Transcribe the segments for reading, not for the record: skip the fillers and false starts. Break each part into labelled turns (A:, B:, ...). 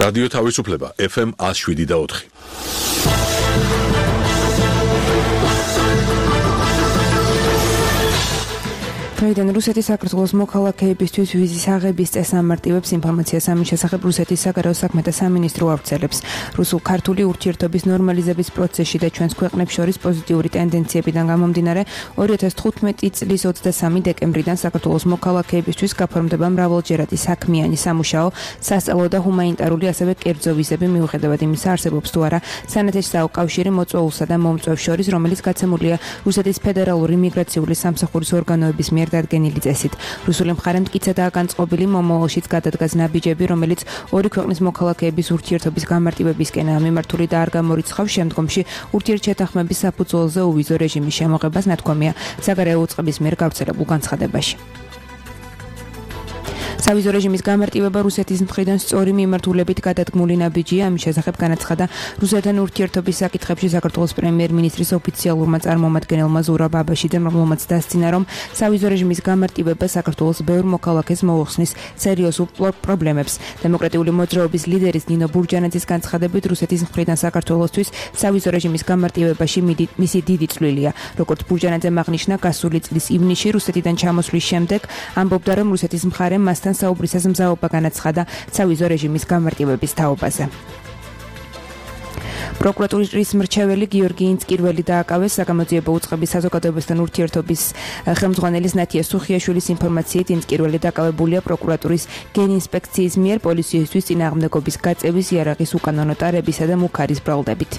A: რადიო თავისუფლება FM 107.4.
B: დღეიდან რუსეთის საქართველოს მოქალაქეებისთვის ვიზის აღების წესს ამარტივებს ინფორმაციას ამის შესახებ რუსეთის საგარეო საქმეთა სამინისტრო ავრცელებს. რუსულ-ქართული ურთიერთობის ნორმალიზების პროცესში და ჩვენს ქვეყნებს შორის პოზიტიური ტენდენციებიდან გამომდინარე 2015 წლის 23 დეკემბრიდან საქართველოს მოქალაქეებისთვის გაფორმდება მრავალჯერადი საქმიანი სამუშაო, სასწავლო და ჰუმანიტარული ასევე კერძო ვიზები მიუხედავად იმისა არსებობს თუ არა სანათესაო კავშირი მოწვეულსა და მომწვევს შორის, რომელიც გაცემულია რუსეთის ფედერალური მიგრაციული სამსახურის ორგანოების მიერ დადგენილი წესით. რუსული მხარე მტკიცადაა განწყობილი მომავალშიც გადადგას ნაბიჯები, რომელიც ორი ქვეყნის მოქალაქეების ურთიერთობის გამარტივებისკენაა მიმართული და არ გამორიცხავს შემდგომში ურთიერთშეთანხმების საფუძველზე უვიზო რეჟიმის შემოღებას, ნათქვამია საგარეო უწყების მიერ გავრცელებულ განცხადებაში. სავიზო რეჟიმის გამარტივება რუსეთის მხრიდან სწორი მიმართულებით გადადგმული ნაბიჯია, ამის შესახებ განაცხადა რუსეთთან ურთიერთობის საკითხებში საქართველოს პრემიერ-მინისტრის ოფიციალურმა წარმომადგენელმა ზურაბ აბაშიძემ, რომელმაც დასცინა, რომ სავიზო რეჟიმის გამარტივება საქართველოს ბევრ მოქალაქეს მოუხსნის სერიოზულ პრობლემებს. დემოკრატიული მოძრაობის ლიდერის ნინო ბურჯანაძის განცხადებით, რუსეთის მხრიდან საქართველოსთვის სავიზო რეჟიმის გამარტივებაში მისი დიდი წვლილია. როგორც ბურჯანაძემ აღნიშნა, გასული წლის ივნისში რუსეთიდან ჩამოსვლის შემდეგ ამბობდა, რომ რუსეთის მხარე მასთან საუბრისას მზაობა განაცხადა სავიზო რეჟიმის გამარტივების თაობაზე. პროკურატურის მრჩეველი გიორგი ინცკირველი დააკავეს საგამოძიებო უწყების საზოგადოებასთან ურთიერთობის ხელმძღვანელის ნათია სუხიაშვილის ინფორმაციით, ინცკირველი დაკავებულია პროკურატურის გენინსპექციის მიერ პოლიციისთვის წინააღმდეგობის გაწევის, იარაღის უკანონო ტარებისა და მუქარის ბრალდებით.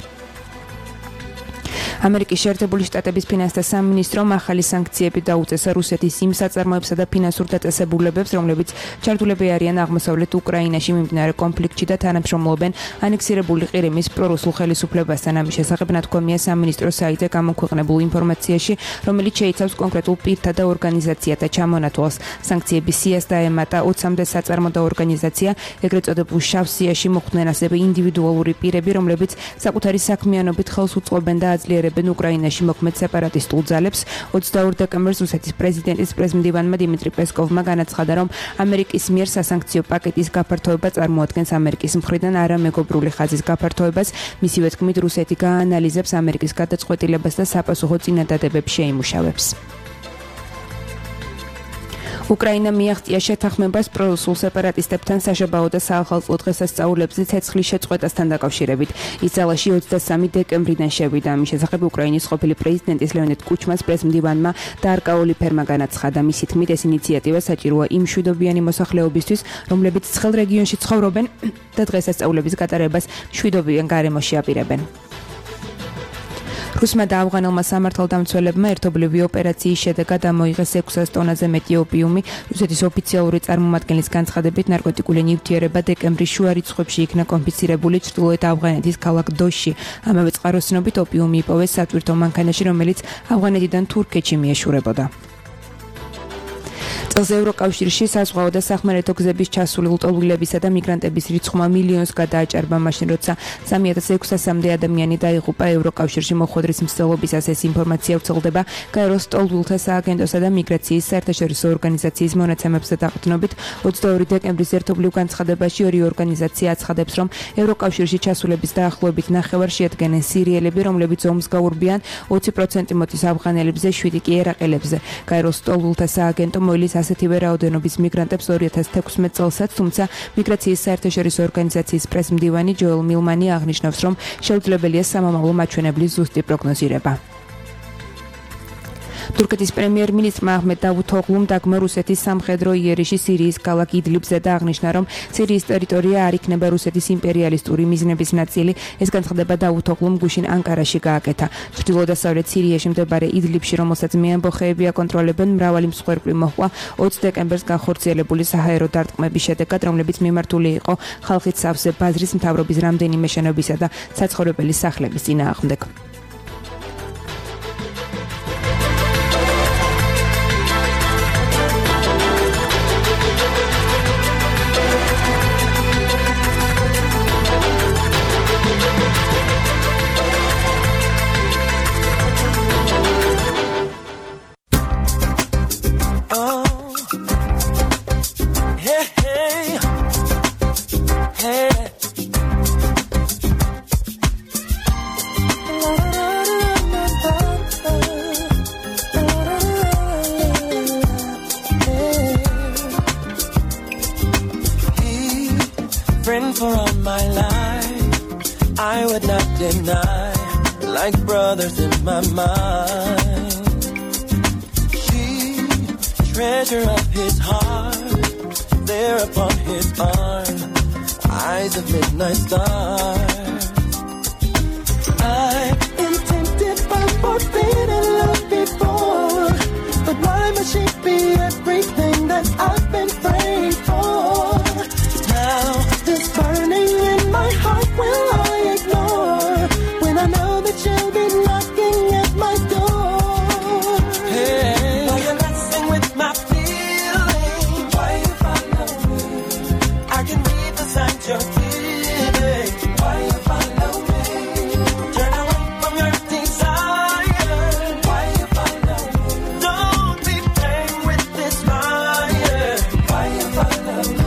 B: ამერიკის შეერთებული შტატების ფინანსთა სამინისტრომ ახალი სანქციები დაუწესა რუსეთის იმ საწარმოებსა და ფინანსურ დაწესებულებებს, რომლებიც ჩართულები არიან აღმოსავლეთ უკრაინაში მიმდინარე კონფლიქტში და თანამშრომლობენ ანექსირებული ყირიმის პრორუსულ ხელისუფლებასთან. ამის შესახებ ნათქვამია სამინისტროს საიტზე გამოქვეყნებულ ინფორმაციაში, რომელიც შეიცავს კონკრეტულ პირთა და ორგანიზაციათა ჩამონათვალს. სანქციების სიას დაემატა 20-მდე საწარმო და ორგანიზაცია, ეგრეთ წოდებულ შავ სიაში მოხვდნენ ასევე ინდივიდუალური პირები, რომლებიც საკუთარი საქმიანობით ხელს უწყობენ და აძლიერებენ უკრაინაში მოქმედ სეპარატისტულ ძალებს. 22 დეკემბერს რუსეთის პრეზიდენტის პრეზმდივანმა დიმიტრი პესკოვმა განაცხადა, რომ ამერიკის მიერ სასანქციო პაკეტის გაფართოება წარმოადგენს ამერიკის მხრიდან არამეგობრული ხაზის გაფართოებას. მისივე თქმით, რუსეთი გაანალიზებს ამერიკის გადაწყვეტილებას და საპასუხო წინადადებებს შეიმუშავებს. უკრაინა მიაღწია შეთანხმებას პრორუსულ სეპარატისტებთან საშობაო და საახალწლო დღესასწაულებზე ცეცხლის შეწყვეტასთან დაკავშირებით. ის ძალაში 23 დეკემბრიდან შევიდა. ამის შესახებ უკრაინის ყოფილი პრეზიდენტის ლეონიდ კუჩმას პრესმდივანმა დარკაული ფერმა განაცხადა. მისი თქმით, ეს ინიციატივა საჭიროა იმ მშვიდობიანი მოსახლეობისთვის, რომლებიც ცხელ რეგიონში ცხოვრობენ და დღესასწაულების გატარებას მშვიდობიან გარემოში აპირებენ. რუსმა და ავღანელმა სამართალდამცველებმა ერთობლივი ოპერაციის შედეგად ამოიღეს 600 ტონაზე მეტი ოპიუმი. რუსეთის ოფიციალური წარმომადგენლის განცხადებით, ნარკოტიკული ნივთიერება დეკემბრის შუა რიცხვებში იქნა კონფისკირებული ჩრდილოეთ ავღანეთის ქალაქ დოშში. ამავე წყაროს ცნობით, ოპიუმი იპოვეს სატვირთო მანქანაში, რომელიც ავღანეთიდან თურქეთში მიეშურებოდა. წელს ევროკავშირში საზღვაო და სახმელეთო გზების ჩასული ლტოლვილებისა და მიგრანტების რიცხვმა მილიონს გადააჭარბა მაშინ, როცა 3600-მდე ადამიანი დაიღუპა ევროკავშირში მოხვედრის მცდელობისას. ეს ინფორმაცია ვრცელდება გაეროს ლტოლვილთა სააგენტოსა და მიგრაციის საერთაშორისო ორგანიზაციის მონაცემებზე დაყრდნობით. 22 დეკემბრის ერთობლივ განცხადებაში ორი ორგანიზაცია აცხადებს, რომ ევროკავშირში ჩასულების დაახლოებით ნახევარ შეადგენენ სირიელები, რომლებიც ომს გაურბიან, 20% მოდის ავღანელებზე, 7% კი ერაყელებზე. გაეროს ლტოლვილთა სააგენტო მოილის ასეთივე რაოდენობის მიგრანტებს 2016 წელსაც, თუმცა მიგრაციის საერთაშორისო ორგანიზაციის პრესმდივანი ჯოელ მილმანი აღნიშნავს, რომ შეუძლებელია სამომავლო მაჩვენებლის ზუსტი პროგნოზირება. თურქეთის პრემიერ-მინისტრმა აჰმედ დავუთოღლუმ დაგმო რუსეთის სამხედრო იერიშში სირიის ქალაქ იდლიბზე და აღნიშნა, რომ სირიის ტერიტორია არ იქნება რუსეთის იმპერიალისტური მიზნების ნაწილი. ეს განცხადება დავუთოღლუმ გუშინ ანკარაში გააკეთა. ჩრდილო-დასავლეთ სირიაში მდებარე იდლიბში, რომელსაც მეამბოხეები აკონტროლებენ, მრავალი მსხვერპლი მოჰყვა 20 დეკემბერს განხორციელებული საჰაერო დარტყმების შედეგად, რომლებიც მიმართული იყო ხალხის სავსე ბაზრის მთავრობის რამდენიმე შენობისა და საცხოვრებელი სახლების წინააღმდეგ.
C: for all my life. I would not deny, like brothers in my mind. She, treasure of his heart, there upon his arm, eyes of midnight stars. I've been tempted by forbidden love before, but why must she be everything that I've been praying for? Now this burning in my heart will I ignore when I know that you'll be knocking at my door. Hey, why you messing with my feelings? Why you follow me? I can read the signs you're giving. Why you follow me? Turn away from your desire. Why you follow me? Don't be playing with this fire. Why you follow me?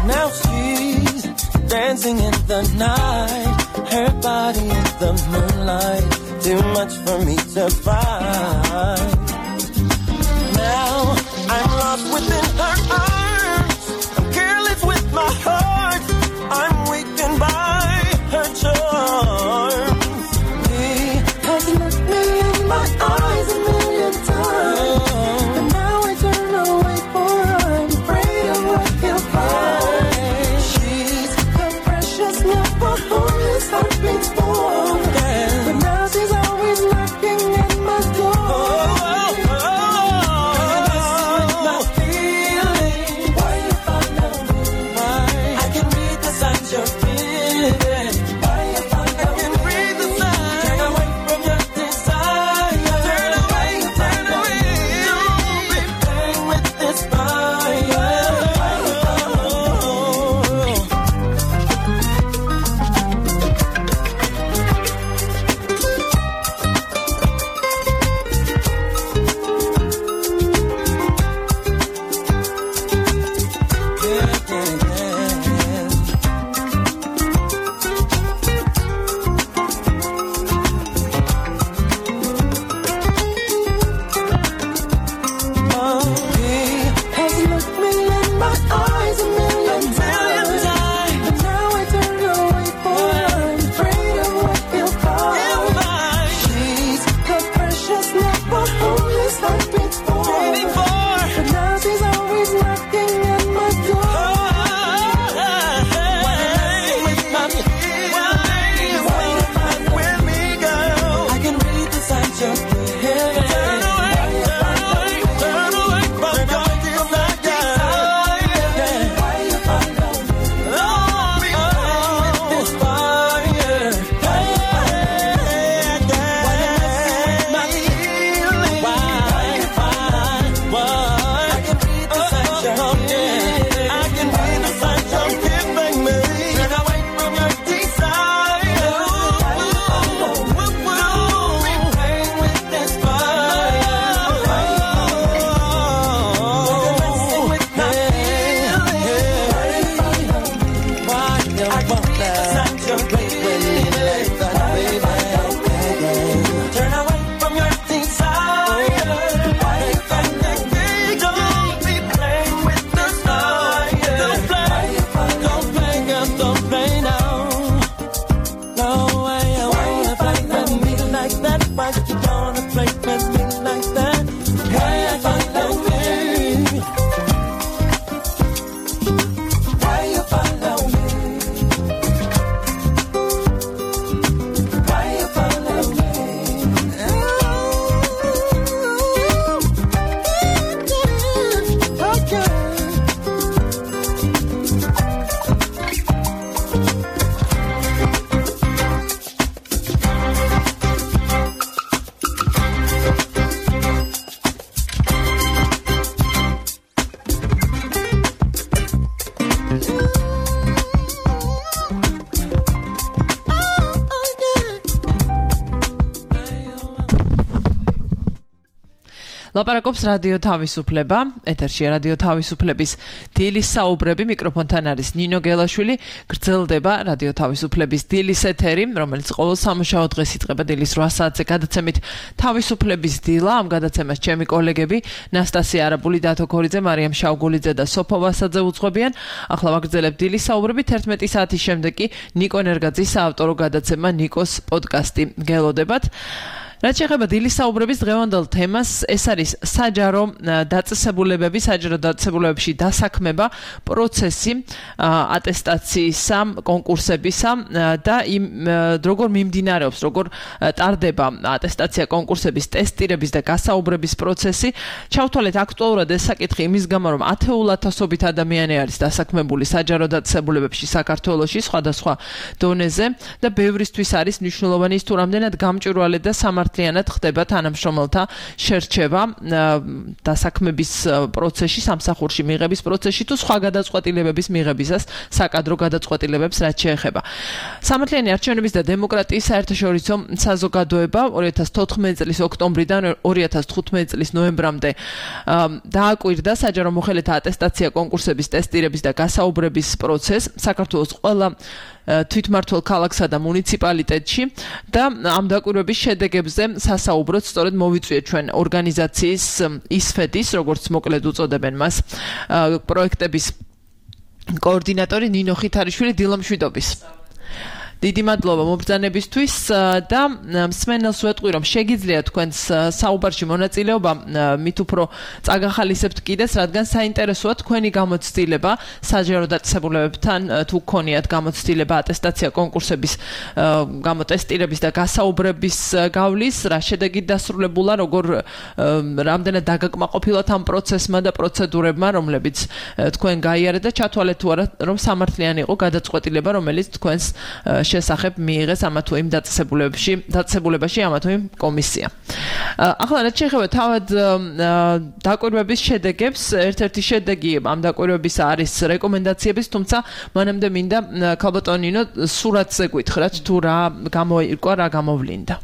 C: Now she's dancing in the night, her body in the moonlight, too much for me to find. Now I'm lost within her arms, I'm careless with my heart, I'm weakened by her charms. He has looked me in my eyes a million times, but now I turn away for I'm afraid of what he'll find. She's the precious love for whom his heart beats for, but now she's always knocking at my door. Why you follow me? I can read the signs you're giving. Why you follow me? I can read the signs. Turn away from your desire. Turn away, turn away. Don't be playing with this fire. Why you follow me? He has looked me in my eyes a million times, but now I turn away for I'm afraid of what he'll find. She's the precious love for whom his heart beats for, but now she's always knocking at my door. Why you messing with my feelings? Why you find with me, girl? I can read the signs you're giving. Turn away, turn away from your desire. Why you follow me? Don't be playing with this fire. Why you messing with my feelings? Why you follow? I can read the signs you're giving. I can read the signs you're giving me. Turn away from your desire. Don't be playing with this fire. Why you messing with my feelings? Why you I can read the signs you're giving. Turn away from your desire. Why you don't be playing with the fire. Don't play, girl, don't play now. No way, I wanna play with me like that. Why you wanna play with me like that? Why you follow me? Why you follow me? Why you follow me? Okay.
D: ლაპარაკობს რადიო თავისუფლება, ეთერშია რადიო თავისუფლების დილის საუბრები, მიკროფონთან არის ნინო გელაშვილი, გრძელდება რადიო თავისუფლების დილის ეთერი, რომელიც ყოველ სამუშაო დღეს იწყება დილის 8 საათზე გადაცემით თავისუფლების დილა, ამ გადაცემას ჩემი კოლეგები ნასტასია არაბული, დათო ქორიძე, მარიამ შავგულიძე და სოფო ვასაძე უძღვებიან. ახლა ვაგრძელებთ დილის საუბრები 11 საათის შემდეგ კი ნიკო ნერგაძის საავტორო გადაცემა ნიკოს პოდკასტი გელოდებათ. რაც შეეხება დილის საუბრების დღევანდელ თემას, ეს არის საჯარო დაწესებულებებში დასაქმება პროცესი ატესტაციისა, კონკურსებისა და იმ როგორ მიმდინარეობს, როგორ ტარდება ატესტაცია, კონკურსების, ტესტირების და გასაუბრების პროცესი. ჩავთვალეთ აქტუალურად ეს საკითხი იმის გამო, რომ 10,000-ობით ადამიანი არის დასაქმებული საჯარო დაწესებულებებში საქართველოში სხვადასხვა დონეზე და ბევრისთვის არის მნიშვნელოვანი ის თუ რამდენად გამჭვირვალე და ლიანად ხდება თანამშრომელთა შერჩევა დასაქმების პროცესში, სამსახურში მიღების პროცესში თუ სხვა გადაწყვეტილებების მიღებისას, საკადრო გადაწყვეტილებებს რაც შეეხება. სამართლიანი არჩევნების და დემოკრატიის საერთაშორისო საზოგადოება 2014 წლის ოქტომბრიდან 2015 წლის ნოემბრამდე დააკვირდა საჯარო მოხელეთა ატესტაცია, კონკურსების, ტესტირების და გასაუბრების პროცესს საქართველოს ყველა თვითმმართველ ქალაქსა და მუნიციპალიტეტში და ამ დაკვირვების შედეგებზე სასაუბროთ სწორედ მოვიწვიეთ ჩვენ ორგანიზაციის ისფედის, როგორც მოკლედ უწოდებენ მას, პროექტების კოორდინატორი ნინო ხითარიშვილი, დილამშვიდობის. დიდი მადლობა მობრძანებისთვის და მსმენელს ვეტყვი, რომ შეგიძლია თქვენს საუბარში მონაწილეობა მით უფრო წაგახალისებთ კიდეც, რადგან საინტერესოა თქვენი გამოცდილება საჯარო დაწესებულებებთან თუ გქონიათ გამოცდილება ატესტაცია, კონკურსების გამოტესტირების და გასაუბრების გავლის, რა შედეგით დასრულებულა, როგორ რამდენად დაგაკმაყოფილოთ ამ პროცესმა და პროცედურებმა, რომლებიც თქვენ გაიარეთ და ჩათვალეთ თუ არა, რომ სამართლიანი იყო გადაწყვეტილება, რომელიც თქვენს შესახებ მიიღეს ამა თუ იმ დაწესებულებაში ამა თუ იმ კომისია. ახლა რაც შეეხება თავად დაკვირვების შედეგებს, ერთ-ერთი შედეგი ამ დაკვირვების არის რეკომენდაციების, თუმცა მანამდე მინდა ქალბატონინო სურათზე გითხრათ თუ რა გამოირკვა, რა გამოვლინდა.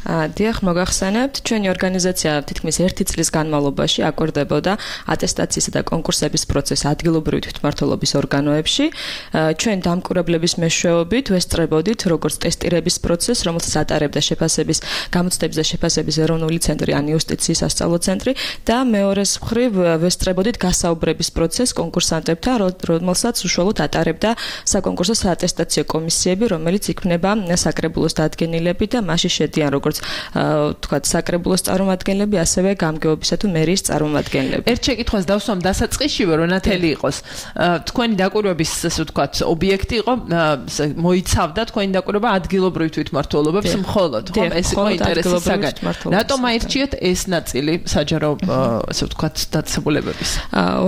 E: დიახ, მოგახსენებთ, ჩვენი ორგანიზაცია თითქმის 1 წლის განმავლობაში აკვირდებოდა ატესტაციისა და კონკურსების პროცესს ადგილობრივი თვითმმართველობის ორგანოებში. ჩვენ დამკვირვებლების მეშვეობით ვესწრებოდით როგორც ტესტირების პროცესს, რომელსაც ატარებდა შეფასების, გამოცდების და შეფასების ეროვნული ცენტრი, ან იუსტიციის სასწავლო ცენტრი და მეორეს მხრივ ვესწრებოდით გასაუბრების პროცესს კონკურსანტებთან, რომელსაც უშუალოდ ატარებდა საკონკურსო საატესტაციო კომისიები, რომელიც იქმნება საკრებულოს დადგენილები და მასში შედიან როგორც თქვათ საკრებულოს წარმომადგენლები, ასევე გამგეობისა თუ მერიის წარმომადგენლები.
D: ერთ შეკითხვას დავსვამ დასაწყისშივე, რომ ნათელი იყოს. თქვენი დაკვირვების, ასე ვთქვათ, ობიექტი იყო, მოიცავდა თქვენი დაკვირვება ადგილობრივ თვითმმართველობებს მხოლოდ, ხო? ეს იყო ინტერესის საგანი. რატომ აირჩიეთ ეს ნაწილი საჯარო, ასე ვთქვათ, დაწესებულებების?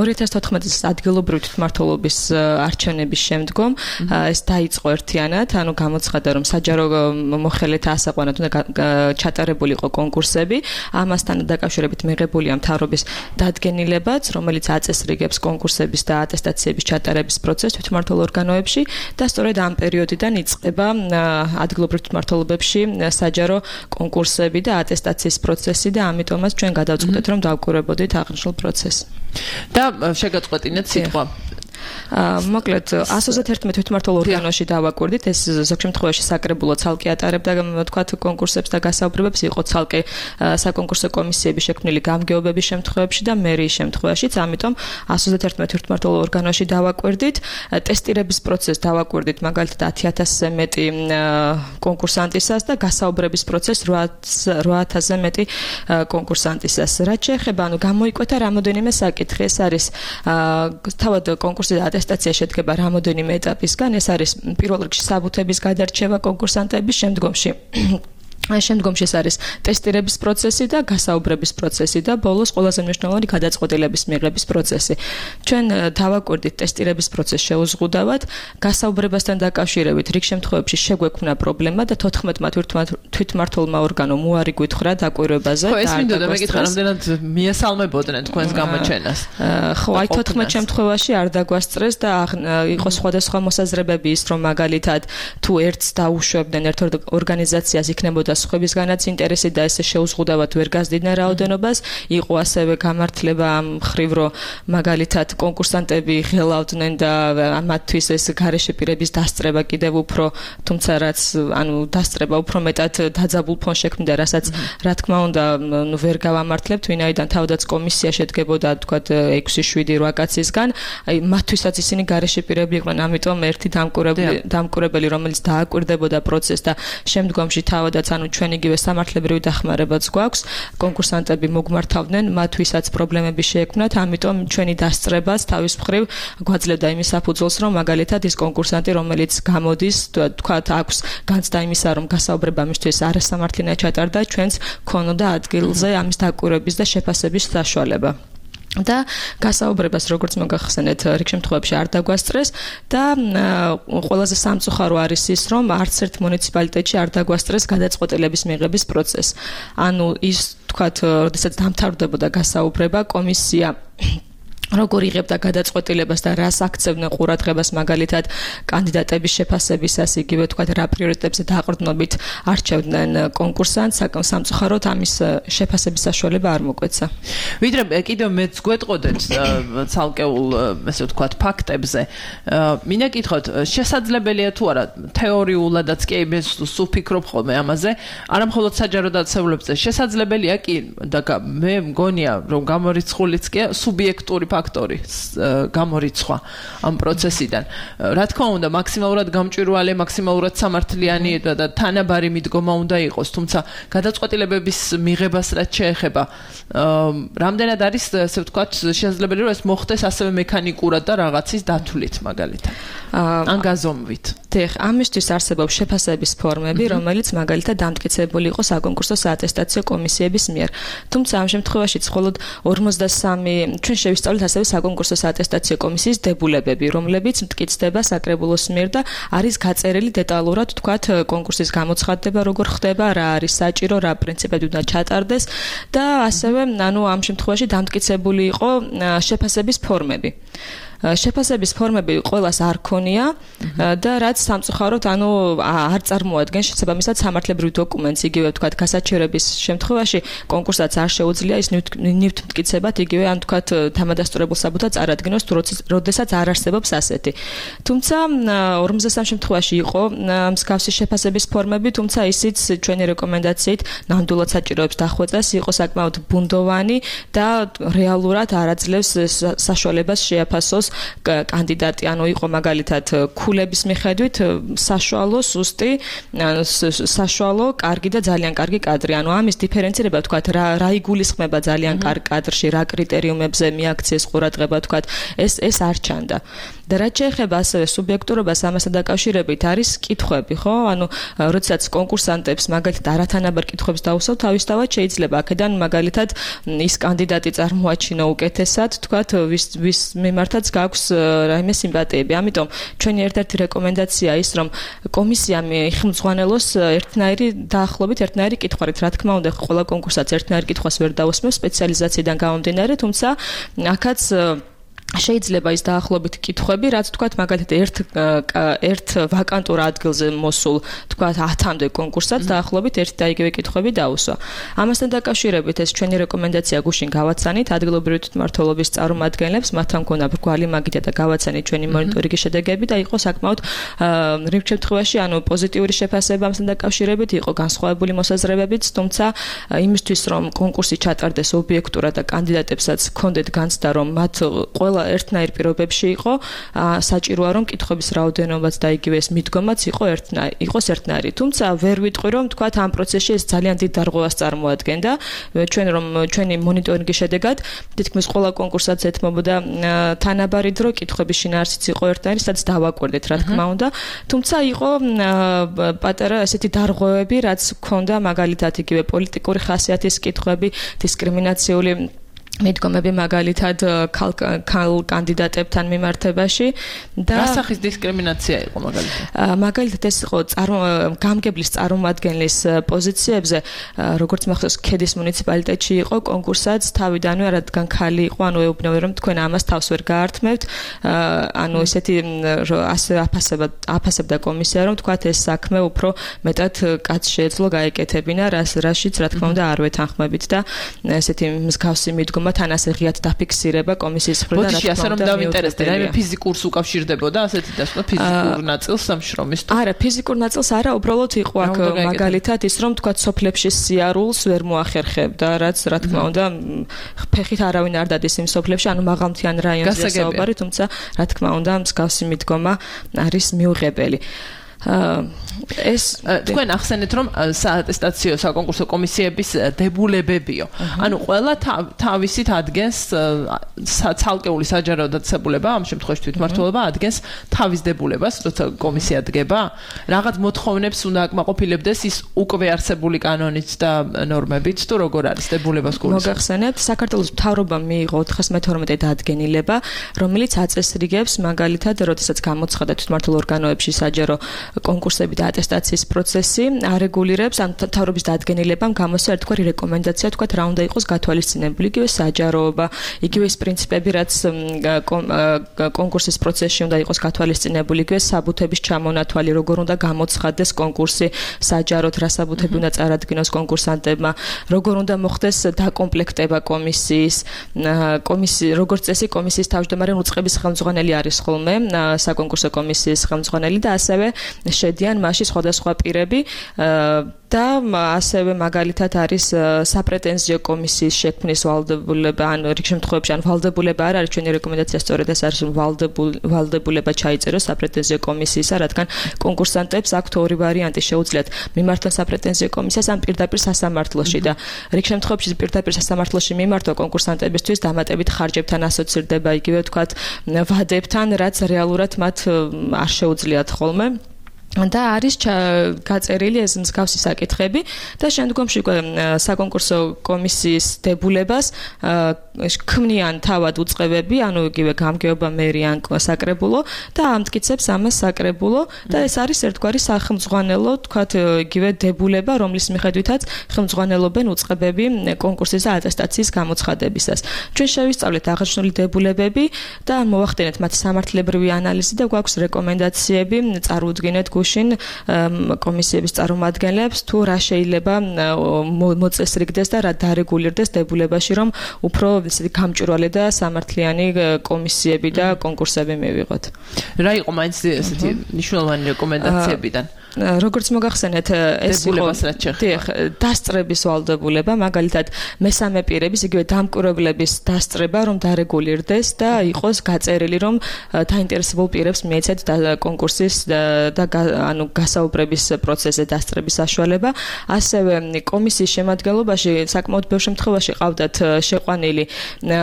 E: 2014 წლის ადგილობრივ თვითმმართველობის არჩევნების შემდგომ ეს დაიწყო ერთიანად, ანუ გამოცხადა, რომ საჯარო მოხელეთა ასაყვანად უნდა ჩატარებული იყო კონკურსები, ამასთან დაკავშირებით მიღებულია მთავრობის დადგენილებაც, რომელიც აწესრიგებს კონკურსების და ატესტაციების ჩატარების პროცესს თვითმმართველ ორგანოებში და სწორედ ამ პერიოდიდან იწყება ადგილობრივ თვითმმართველობებში საჯარო კონკურსები და ატესტაციის პროცესი და ამიტომაც ჩვენ გადავწყვეტეთ, რომ დავკვირვებოდით აღნიშნულ პროცესს.
D: და შეგაწყვეტინეთ სიტყვა.
E: მოკლედ 121 თვითმმართველ ორგანოში დავაკვირდით, ეს ზოგ შემთხვევაში საკრებულო ცალკე ატარებდა თქვათ კონკურსებს და გასაუბრებებს, იყო ცალკე საკონკურსო კომისიები შექმნილი გამგეობების შემთხვევებში და მერიის შემთხვევაშიც, ამიტომ 121 თვითმმართველ ორგანოში დავაკვირდით, ტესტირების პროცესს დავაკვირდით, მაგალითად 10,000-ზე მეტი კონკურსანტისას და გასაუბრების პროცესს 8,000-ზე მეტი კონკურსანტისას. რაც შეეხება, ანუ გამოიკვეთა რამოდენიმე საკითხი, ეს არის თავად კონკურსი და ატესტაცია შედგება რამოდენიმე ეტაპისგან, ეს არის პირველ რიგში საბუთების გადარჩევა კონკურსანტების, შემდგომში ეს არის ტესტირების პროცესი და გასაუბრების პროცესი და ბოლოს ყველაზე მნიშვნელოვანი გადაწყვეტილების მიღების პროცესი. ჩვენ დავაკვირდით ტესტირების პროცესს შეუზღუდავად, გასაუბრებასთან დაკავშირებით რიგ შემთხვევებში შეგვექმნა პრობლემა და 14-მა თვითმმართველმა ორგანომ უარი გითხრა დაკვირვებაზე.
D: ხო, ეს მინდოდა მეკითხა, რამდენად მიესალმებოდნენ თქვენს გამოჩენას.
E: ხო, აი 14 შემთხვევაში არ დაგვასწრეს და იყო სხვადასხვა მოსაზრებები ის, რომ მაგალითად თუ ერთს დაუშვებდნენ ერთ ორგანიზაციას იქნებოდა სხვებისგანაც ინტერესი და ესე შეუზღუდავად ვერ გაზრდიდნენ რაოდენობას. იყო ასევე გამართლება ამ ხრივ, რომ მაგალითად კონკურსანტები ღელავდნენ და ამათთვის ეს გარეშე პირების დასწრება კიდევ უფრო, თუმცა რაც დასწრება უფრო მეტად დაძაბულ ფონს შექმნიდა, რასაც რა თქმა უნდა ვერ გავამართლებთ, ვინაიდან თავდაც კომისია შედგებოდა თქვათ 6-7-8 კაცისგან, აი მათთვისაც ისინი გარეშე პირები იყვნენ, ამიტომ ერთი დამკვირვებელი, რომელიც დააკვირდებოდა პროცესს და შემდგომში თავადაც ჩვენ იგივე სამართლებრივი დახმარებაც გვაქვს, კონკურსანტები მოგმართავდნენ, მათთვისაც პრობლემები შეექმნათ, ამიტომ ჩვენი დასწრებას თავის მხრივ გვაძლევდა იმის საფუძველს, რომ მაგალითად ის კონკურსანტი, რომელიც გამოდის, თქვათ აქვს განცდა იმისა, რომ გასაუბრება მისთვის არასამართლიანია ჩატარდა, ჩვენს ქონოდა ადგილზე ამის დაკვირვების და შეფასების საშუალება. და გასაუბრებას როგორც მოგახსენეთ რიგ შემთხვევებში არ დაგვასწრეს და ყველაზე სამწუხარო არის ის რომ არც ერთ მუნიციპალიტეტში არ დაგვასწრეს გადაწყვეტილების მიღების პროცესი. ანუ ის თქვათ როდესაც დამთავრდებოდა გასაუბრება კომისია როგორ იღებდა გადაწყვეტილებას და რას აქცევდნენ ყურადღებას მაგალითად კანდიდატების შეფასებისას, იგივე თქვათ რა პრიორიტეტებზე დაყრდნობით არჩევდნენ კონკურსანტს, სამწუხაროდ ამის შეფასების საშუალება არ მოგვეცა.
D: ვიდრე კიდევ მეც გვეტყოდეთ ცალკეულ ესე ვთქვათ ფაქტებზე, მინდა გითხოთ, შესაძლებელია თუ არა თეორიულადაც კი მე სუფიქრობ ხოლმე ამაზე, არა მხოლოდ საჯარო დაწესებულებებზე, შესაძლებელია კი და მე მგონია რომ გამორიცხულიც კი სუბიექტური ფაქტორი გამორიცხვა ამ პროცესიდან. რა თქმა უნდა, მაქსიმალურად გამჭვირვალე, მაქსიმალურად სამართლიანი და თანაბარი მიდგომა უნდა იყოს, თუმცა გადაწყვეტილებების მიღებას რაც შეეხება, რამდენად არის, ასე ვთქვათ, შესაძლებელი რომ ეს მოხდეს ასევე მექანიკურად და რაღაცის დათვლით მაგალითად. ან გაზომვით.
E: დიახ, ამისთვის არსებობს შეფასების ფორმები, რომელიც მაგალითად დამტკიცებული იყო საკონკურსო საატესტაციო კომისიების მიერ. თუმცა ამ შემთხვევაშიც მხოლოდ 53 ჩვენ შევისწავლეთ ასევე საკონკურსო საატესტაციო კომისიის დებულებები, რომლებიც მტკიცდება საკრებულოს მიერ და არის გაწერილი დეტალურად, თქვათ, კონკურსის გამოცხადდება, როგორ ხდება, რა არის საჭირო, რა პრინციპები უნდა ჩატარდეს და ასევე, ამ შემთხვევაში დამტკიცებული იყო შეფასების ფორმები. შეფასების ფორმები ყველას არ ქონია და რაც სამწუხაროდ არ წარმოადგენს შესაბამისად სამართლებრივ დოკუმენტს, იგივე თქვათ გასაჩერების შემთხვევაში კონკურსსაც არ შეუძლია ის ნივთი მტკიცებად იგივე ან თქვათ თამადასტურებულ საბუთად წარადგინოს თუ როდესაც არ არსებობს ასეთი. თუმცა 53 შემთხვევაში იყო მსგავსი შეფასების ფორმები, თუმცა ისიც ჩვენი რეკომენდაციით ნამდვილად საჭიროებს დახვეწას, იყო საკმაოდ ბუნდოვანი და რეალურად არ აძლევს საშუალებას შეაფასოს კანდიდატი, იყო მაგალითად ქულების მიხედვით საშუალო, სუსტი, საშუალო, კარგი და ძალიან კარგი კადრი. ამის დიფერენცირება თქვათ რა იგულისხმება ძალიან კარგ კადრში, რა კრიტერიუმებზე მიაქციეს ყურადღება თქვათ, ეს არ ჩანდა. და რაც შეეხება ასევე სუბიექტურობას ამასთან დაკავშირებით არის კითხვები, ხო? როდესაც კონკურსანტებს მაგალითად არათანაბარ კითხვებს დაუსვათ, თავისთავად შეიძლება აქედან მაგალითად ის კანდიდატი წარმოაჩინო უკეთესად, თქვათ, ვის მიმართაც გაქვს რაიმე სიმპათიები. ამიტომ ჩვენი ერთ-ერთი რეკომენდაცია ის, რომ კომისიამ იხმძღვანელოს ერთნაირი დაახლოებით ერთნაირი კითხვით. რა თქმა უნდა, ყველა კონკურსაც ერთნაირი კითხვას ვერ დაუსმევს სპეციალიზაციიდან გამომდინარე, თუმცა აქაც შეიძლება ის დაახლოებით კითხვები, რაც თქვათ მაგალითად ერთ ვაკანტურ ადგილზე მოსულ, თქვათ 10-მდე კონკურსად დაახლოებით ერთი და იგივე კითხვები დაუსვა. ამასთან დაკავშირებით ეს ჩვენი რეკომენდაცია გუშინ გავაცანით ადგილობრივი თვითმმართველობის წარმომადგენლებს, მათთან მქონდა ბრგვალი მაგიდა და გავაცანით ჩვენი მონიტორინგის შედეგები და იყო საკმაოდ რიგ შემთხვევაში პოზიტიური შეფასება ამასთან დაკავშირებით, იყო განსხვავებული მოსაზრებებიც, თუმცა იმისთვის რომ კონკურსი ჩატარდეს ობიექტურად და კანდიდატებსაც ჰქონდეთ განცდა რომ მათ ყველა ერთნაირ პირობებში იყო, საჭიროა რომ კითხვების რაოდენობაც და იგივე ეს მიდგომაც იყოს ერთნაირი. თუმცა ვერ ვიტყვი რომ თქვათ ამ პროცესში ეს ძალიან დიდ დარღვევას წარმოადგენდა. ჩვენი მონიტორინგის შედეგად თითქმის ყველა კონკურსად ეთმობოდა თანაბარი დრო, კითხვების შინაარსიც იყო ერთნაირი, სადაც დავაკვირდით რა თქმა უნდა. თუმცა იყო პატარა ესეთი დარღვევები, რაც ჰქონდა მაგალითად იგივე პოლიტიკური ხასიათის კითხვები, დისკრიმინაციული მიდგომები მაგალითად ქალ კანდიდატებთან მიმართებაში და
D: რა სახის დისკრიმინაცია იყო მაგალითად?
E: მაგალითად ეს იყო გამგებლის წარმომადგენლის პოზიციებზე, როგორც მახსოვს, ქედის მუნიციპალიტეტში იყო კონკურსად თავიდანვე, რადგან ქალი იყო, ანუ ეუბნებოდა, რომ თქვენ ამას თავს ვერ გაართმევთ, ანუ ესეთი ასე აფასებდა კომისია, რომ თქვათ ეს საქმე უფრო მეტად კაცს შეეძლო გაეკეთებინა, რაშიც რა თქმა უნდა არ ვეთანხმებით და ესეთი მსგავსი მიდგომა თან ასე ღიად დაფიქსირება კომისიის მხრიდან რა თქმა უნდა.
D: ბოდიში ასე რომ დავინტერესდე, რაიმე ფიზიკურს უკავშირდებოდა ასეთი დასვლა ფიზიკურ ნაწილს სამშრომის თუ?
E: არა, ფიზიკურ ნაწილს არა, უბრალოდ იყო აქ მაგალითად ის რომ თქვა სოფლებში სიარულს ვერ მოახერხებდა, რაც რა თქმა უნდა ფეხით არავინ არ დადის იმ სოფლებში, ანუ მაღალმთიან რაიონზე საუბარი, თუმცა რა თქმა უნდა მსგავსი მიდგომა არის მიუღებელი. ეს
D: თქვენ ახსენეთ რომ საატესტაციო საკონკურსო კომისიების დებულებებიო. ანუ ყველა თავისით ადგენს ცალკეული საჯარო დაწესებულება, ამ შემთხვევაში თვითმმართველობა ადგენს თავის დებულებას, როცა კომისია დგება. რაღაც მოთხოვნებს უნდა აკმაყოფილებდეს ის უკვე არსებული კანონით და ნორმებით, თუ როგორ არის დებულებას გულისხმობს.
E: მოგახსენებთ, საქართველოს მთავრობამ მიიღო 412 დადგენილება, რომელიც აწესრიგებს მაგალითად, როდესაც გამოცხადა თვითმმართველ ორგანოებში საჯარო კონკურსები და ატესტაციის პროცესი არეგულირებს ამ მთავრობის დადგენილებამ გამოსცა ერთგვარი რეკომენდაცია, თქვათ რა უნდა იყოს გათვალისწინებული, იგივე საჯაროობა, იგივე ის პრინციპები, რაც კონკურსის პროცესში უნდა იყოს გათვალისწინებული, იგივე საბუთების ჩამონათვალი, როგორ უნდა გამოცხადდეს კონკურსი საჯაროდ, რა საბუთები უნდა წარადგინოს კონკურსანტებმა, როგორ უნდა მოხდეს დაკომპლექტება კომისიის, როგორც წესი კომისიის თავმჯდომარე უწყების ხელმძღვანელი არის ხოლმე, საკონკურსო კომისიის ხელმძღვანელი და ასევე შედიან მასში სხვადასხვა პირები და ასევე მაგალითად არის საპრეტენზიო კომისიის შექმნის ვალდებულება, ან რიგ შემთხვევებში ან ვალდებულება არ არის, ჩვენი რეკომენდაცია სწორედ ეს არის, რომ ვალდებულება ჩაიწეროს საპრეტენზიო კომისიისა, რადგან კონკურსანტებს აქვთ ორი ვარიანტი, შეუძლიათ მიმართონ საპრეტენზიო კომისიას ან პირდაპირ სასამართლოში და რიგ შემთხვევებში პირდაპირ სასამართლოში მიმართვა კონკურსანტებისთვის დამატებით ხარჯებთან ასოცირდება, იგივე ვთქვათ ვადებთან, რაც რეალურად მათ არ შეუძლიათ ხოლმე. და არის გაწერილი ეს მსგავსი საკითხები და შემდგომში საკონკურსო კომისიის დებულებას ქმნიან თავად უწყებები, ანუ იგივე გამგეობა მერი ან საკრებულო და ამტკიცებს ამას საკრებულო და ეს არის ერთგვარი სახელმძღვანელო, თქვათ იგივე დებულება, რომლის მიხედვითაც ხელმძღვანელობენ უწყებები კონკურსის და ატესტაციის გამოცხადებისას. ჩვენ შევისწავლეთ აღნიშნული დებულებები და მოვახდინეთ მათი სამართლებრივი ანალიზი და გვაქვს რეკომენდაციები, წარუდგინეთ კომისიების წარმომადგენლებს თუ რა შეიძლება მოწესრიგდეს და რა დარეგულირდეს დებულებაში, რომ უფრო გამჭვირვალე და სამართლიანი კომისიები და კონკურსები მივიღოთ.
D: რა იყო მაინც ესეთი მნიშვნელოვანი რეკომენდაციებიდან?
E: როგორც მოგახსენეთ, ეს იყო დასწრების ვალდებულება, მაგალითად მესამე პირების, იგივე დამკვირვებლების დასწრება, რომ დარეგულირდეს და იყოს გაწერილი, რომ დაინტერესებულ პირებს მიეცეთ კონკურსის და ანუ გასაუბრების პროცესზე დასწრების საშუალება. ასევე კომისიის შემადგენლობაში საკმაოდ ბევრ შემთხვევაში ყავდათ შეყვანილი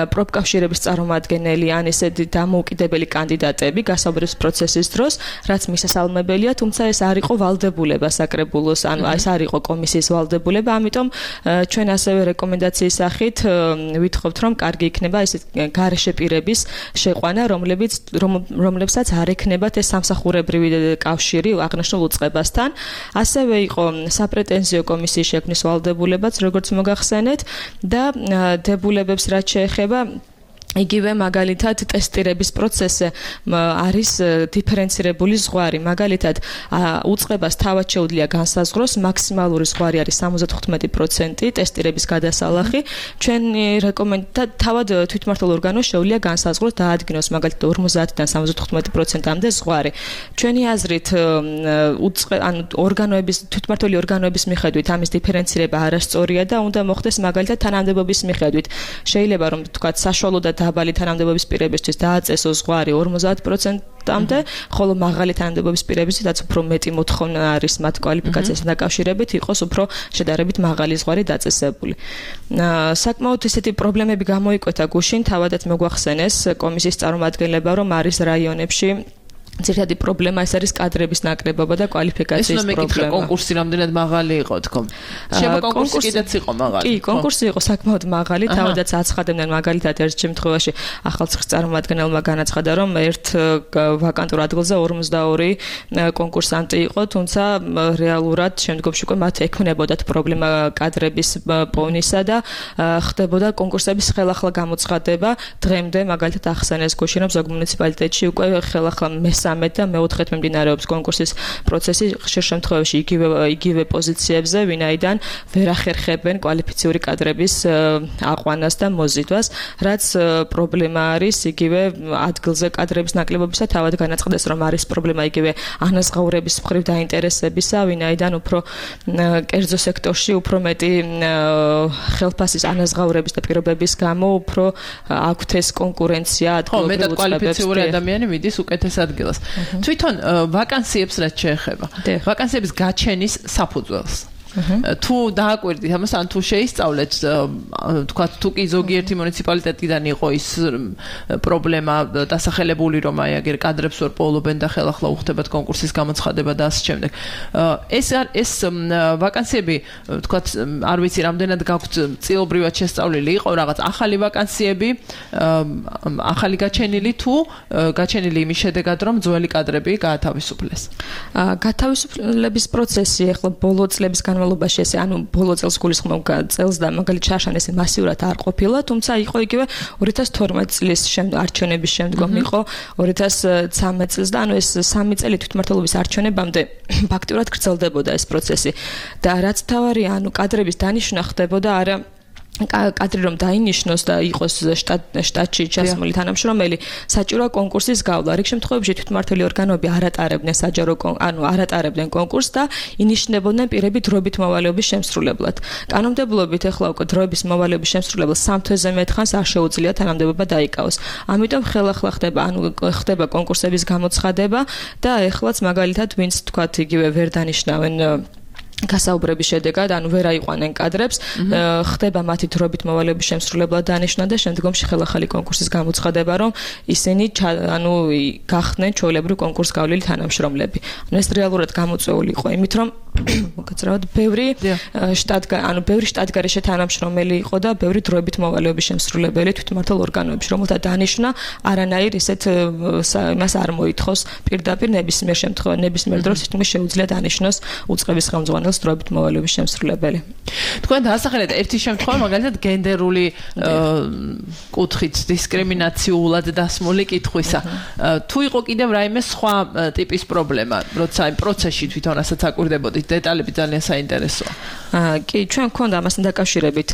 E: პროფკავშირების წარმომადგენელი ან ესეთი დამოუკიდებელი კანდიდატები გასაუბრების პროცესის დროს, რაც მისასალმებელია, თუმცა ეს არ იყო ვალდებულება საკრებულოს, ანუ ეს არ იყო კომისიის ვალდებულება, ამიტომ ჩვენ ასევე რეკომენდაციის სახით ვითხოვთ, რომ კარგი იქნება ეს გარეშე პირების შეყვანა, რომლებსაც არ ექნებათ ეს სამსახურებრივი კავშირი აღნიშნულ უწყებასთან. ასევე იყო საპრეტენზიო კომისიის შექმნის ვალდებულებაც, როგორც მოგახსენეთ და დებულებებს რაც შეეხება იგივე მაგალითად ტესტირების პროცესზე არის დიფერენცირებული ზღვარი. მაგალითად, უწყებას თავად შეუძლია განსაზღვროს მაქსიმალური ზღვარი არის 75% ტესტირების გადასალახი. ჩვენი რეკომენდაცია თავად თვითმმართველ ორგანოს შეუძლია განსაზღვროს დაადგინოს მაგალითად 50-დან 75%-მდე ზღვარი. ჩვენი აზრით, ანუ თვითმმართველი ორგანოების მიხედვით ამის დიფერენცირება არასწორია და უნდა მოხდეს მაგალითად თანამდებობის მიხედვით. შეიძლება რომ თქვათ საშუალო და დაბალი თანამდებობის პირებისთვის დააწესოს ზღვარი 50%-მდე, ხოლო მაღალი თანამდებობის პირებისთვისაც უფრო მეტი მოთხოვნა არის მათ კვალიფიკაციასთან დაკავშირებით, იყოს უფრო შედარებით მაღალი ზღვარი დაწესებული. საკმაოდ ესეთი პრობლემები გამოიკვეთა გუშინ, თავადაც მოგვახსენეს კომისიის წარმომადგენლებმა, რომ არის რაიონებში ძირითადი პრობლემა ეს არის კადრების ნაკლებობა და კვალიფიკაციის პრობლემა.
D: ეს ნომერი კონკურსი რამდენად მაღალი იყო თქო. შევა კონკურსი კიდეც იყო მაღალი.
E: კი, კონკურსი იყო საკმაოდ მაღალი, თავადაც აცხადებდნენ მაგალითად ერთ შემთხვევაში ახალციხის წარმომადგენელმა განაცხადა, რომ ერთ ვაკანტურ ადგილზე 42 კონკურსანტი იყო, თუმცა რეალურად შემდგომში უკვე მათ ექნებოდათ პრობლემა კადრების პონისა და ხდებოდა კონკურსების ხელახლა გამოცხადება. დღემდე მაგალითად ახსენეს გუშინ, რომ ზოგ მუნიციპალიტეტში უკვე ხელახლა მესამე და მეოთხედ მიმდინარეობს კონკურსის პროცესი ხშირ შემთხვევაში იგივე პოზიციებზე, ვინაიდან ვერ ახერხებენ კვალიფიციური კადრების აყვანას და მოზიდვას, რაც პრობლემა არის იგივე ადგილზე კადრების ნაკლებობისა. თავად განაცხადეს, რომ არის პრობლემა იგივე ანაზღაურების მხრივ დაინტერესებისა, ვინაიდან უფრო კერძო სექტორში უფრო მეტი ხელფასის ანაზღაურების და პირობების გამო უფრო აქვთ ეს კონკურენცია ადგილობრივ
D: მეტად კვალიფიციური ადამიანი მიდის უკეთეს ადგილას. თვითონ ვაკანსიებს რაც შეეხება. ვაკანსიების გაჩენის საფუძველს. თუ დააკვირდით ამას, ან თუ შეისწავლეთ, თქვა თუ კი ზოგიერთი მუნიციპალიტეტიდან იყო ის პრობლემა დასახელებული, რომ აი აგერ კადრებს ვერ პოულობენ და ხელახლა უხდებათ კონკურსის გამოცხადება და ასე შემდეგ. ეს ვაკანსიები, თქვა არ ვიცი რამდენად გაქვთ წილობრივად შესწავლილი, იყო რაღაც ახალი ვაკანსიები, ახალი გაჩენილი თუ გაჩენილი იმის შედეგად, რომ ძველი კადრები გაათავისუფლეს.
E: გათავისუფლების პროცესი ახლა ბოლო წლების განმავლობაში ესე ანუ ბოლო წელს გულისხმობ წელს და მაგალითად შაშან ესე მასიურად არ ყოფილა, თუმცა იყო იგივე 2012 წლის არჩევნების შემდგომ იყო 2013 წელს და ანუ ეს 3 წელი თვითმმართველობის არჩევნებამდე ფაქტურად გრძელდებოდა ეს პროცესი და რაც თავარია, ანუ კადრების დანიშვნა ხდებოდა არა კადრი რომ დაინიშნოს და იყოს შტატში ჩასმული თანამშრომელი, საჭიროა კონკურსის გავლა. რიგ შემთხვევებში თვითმმართველი ორგანოები არ ატარებდნენ საჯარო არ ატარებდნენ კონკურსს და ინიშნებოდნენ პირები დროებით მოვალეობის შემსრულებლად. კანონმდებლობით ახლა უკვე დროების მოვალეობის შემსრულებელს 3 თვეზე მეტ ხანს არ შეუძლია თანამდებობა დაიკავოს. ამიტომ ხელახლა ხდება კონკურსების გამოცხადება და ეხლაც მაგალითად ვინც თქვათ იგივე ვერ დანიშნავენ გასაუბრების შედეგად, ანუ ვერ აიყვანენ კადრებს, ხდება მათი დროებით მოვალეობის შემსრულებლად დანიშნა და შემდგომში ხელახალი კონკურსის გამოცხადება, რომ ისინი ანუ გახდნენ ჩვეულებრივ კონკურსს გავლილი თანამშრომლები. ანუ ეს რეალურად გამოწვეული იყო იმით, რომ მოგეცრავად ბევრი შტატგარეშე თანამშრომელი იყო და ბევრი დროებით მოვალეობის შემსრულებელი თვითმმართველ ორგანოებში, რომელთა დანიშნა არანაირ ისეთ იმას არ მოითხოვს პირდაპირ ნებისმიერ დროს თითქმის შეუძლია დანიშნოს უწყების ხელმძღვანელს დროებით მოვალეობის შემსრულებელი.
D: თქვენ დაასახელეთ ერთი შემთხვევა, მაგალითად გენდერული კუთხით დისკრიმინაციულად დასმული კითხვისა. თუ იყო კიდევ რაიმე სხვა ტიპის პრობლემა, როცა იმ პროცესში თვითონ ასაც აკვირდებოდით, დეტალები ძალიან საინტერესოა.
E: კი, ჩვენ გქონდა ამასთან დაკავშირებით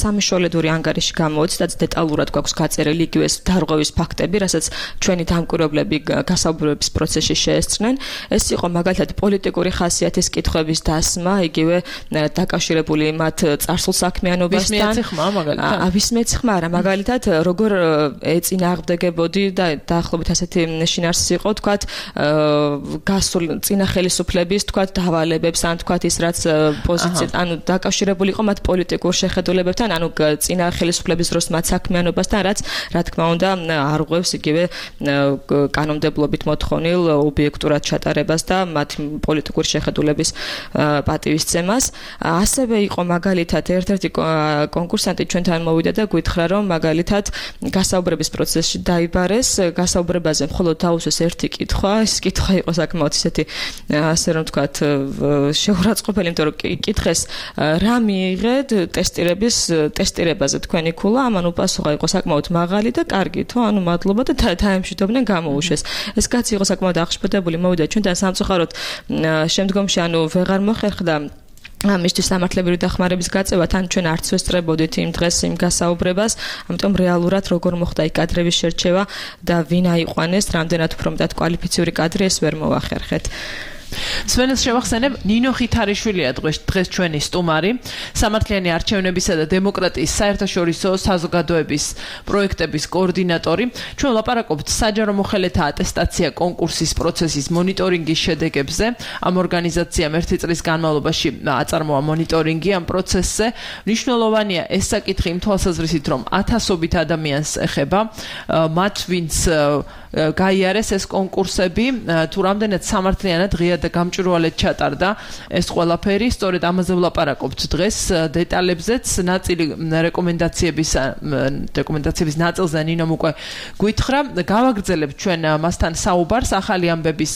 E: სამშობლედური ანგარიში გამოვიცით და დეტალურად გვაქვს გაწერილი იგივე დარღვევის ფაქტები, რასაც ჩვენი დამკვირვებლები გასაუბრების პროცესში შეესწრნენ. ეს იყო მაგალითად პოლიტიკური ხასიათის კითხვების დასმა, იგივე დაკავშირებული მათ წარსულ საქმიანობასთან. ვისმეც ხმა არა, მაგალითად როგორ ეწინააღმდეგებოდი და დაახლოებით ასეთი შინაარსი იყო, თქვათ გასულ წინა ხელისუფლების, თქვათ დავალებებს, ან თქვათ ის რაც პოზიცია ანუ დაკავშირებული იყო მათ პოლიტიკურ შეხედულებებთან, ანუ წინა ხელისუფლების დროს მათ საქმიანობასთან, რაც რა თქმა უნდა არ ღვევს იგივე კანონმდებლობით მოთხოვნილ ობიექტურად ჩატარებას და მათ პოლიტიკური შეხედულების პატივისცემას. ასევე იყო მაგალითად ერთ-ერთი კონკურსანტი ჩვენთან მოვიდა და გითხრა, რომ მაგალითად გასაუბრების პროცესში დაიბარეს, გასაუბრებაზე მხოლოდ დაუსვეს ერთი კითხვა, ეს კითხვა იყო საკმაოდ ისეთი ასე რომ ვთქვათ შეურაცხყოფელი, იმიტომ რომ კითხეს რა მიიღეთ ტესტირებაზე თქვენი ქულა, ამან უპასუხა იყო საკმაოდ მაღალი და კარგი, თო ანუ მადლობა და დაემშვიდობდნენ გამოუშვეს. ეს კაცი იყო საკმაოდ აღშფოთებული, მოვიდა ჩვენთან სამწუხაროდ შემდგომში ანუ ვეღარ მოხერხდა ამისთვის სამართლებრივი დახმარების გაწევა, თან ჩვენ არც ვესწრებოდით იმ დღეს იმ გასაუბრებას, ამიტომ რეალურად როგორ მოხდა იქ კადრების შერჩევა და ვინ აიყვანეს, რამდენად უფრო მეტად კვალიფიციური კადრი ეს ვერ მოვახერხეთ.
D: სვენელს შევახსენებ, ნინო ხითარიშვილია დღეს ჩვენი სტუმარი, სამართლიანი არჩევნებისა და დემოკრატიის საერთაშორისო საზოგადოების პროექტების კოორდინატორი. ჩვენ ვლაპარაკობთ საჯარო მოხელეთა ატესტაცია კონკურსის პროცესის მონიტორინგის შედეგებზე. ამ ორგანიზაციამ ერთი წლის განმავლობაში აწარმოა მონიტორინგი ამ პროცესზე. მნიშვნელოვანია ეს საკითხი იმ თვალსაზრისით, რომ ათასობით ადამიანს ეხება, მათ ვინც გაიარეს ეს კონკურსები, თუ რამდენად სამართლიანად ღია და გამჭვირვალედ ჩატარდა ეს ყველაფერი, სწორედ ამაზე ვლაპარაკობთ დღეს დეტალებზეც, ნაწილი რეკომენდაციების ნაწილზე ნინომ უკვე გვითხრა, გავაგრძელებთ ჩვენ მასთან საუბარს ახალი ამბების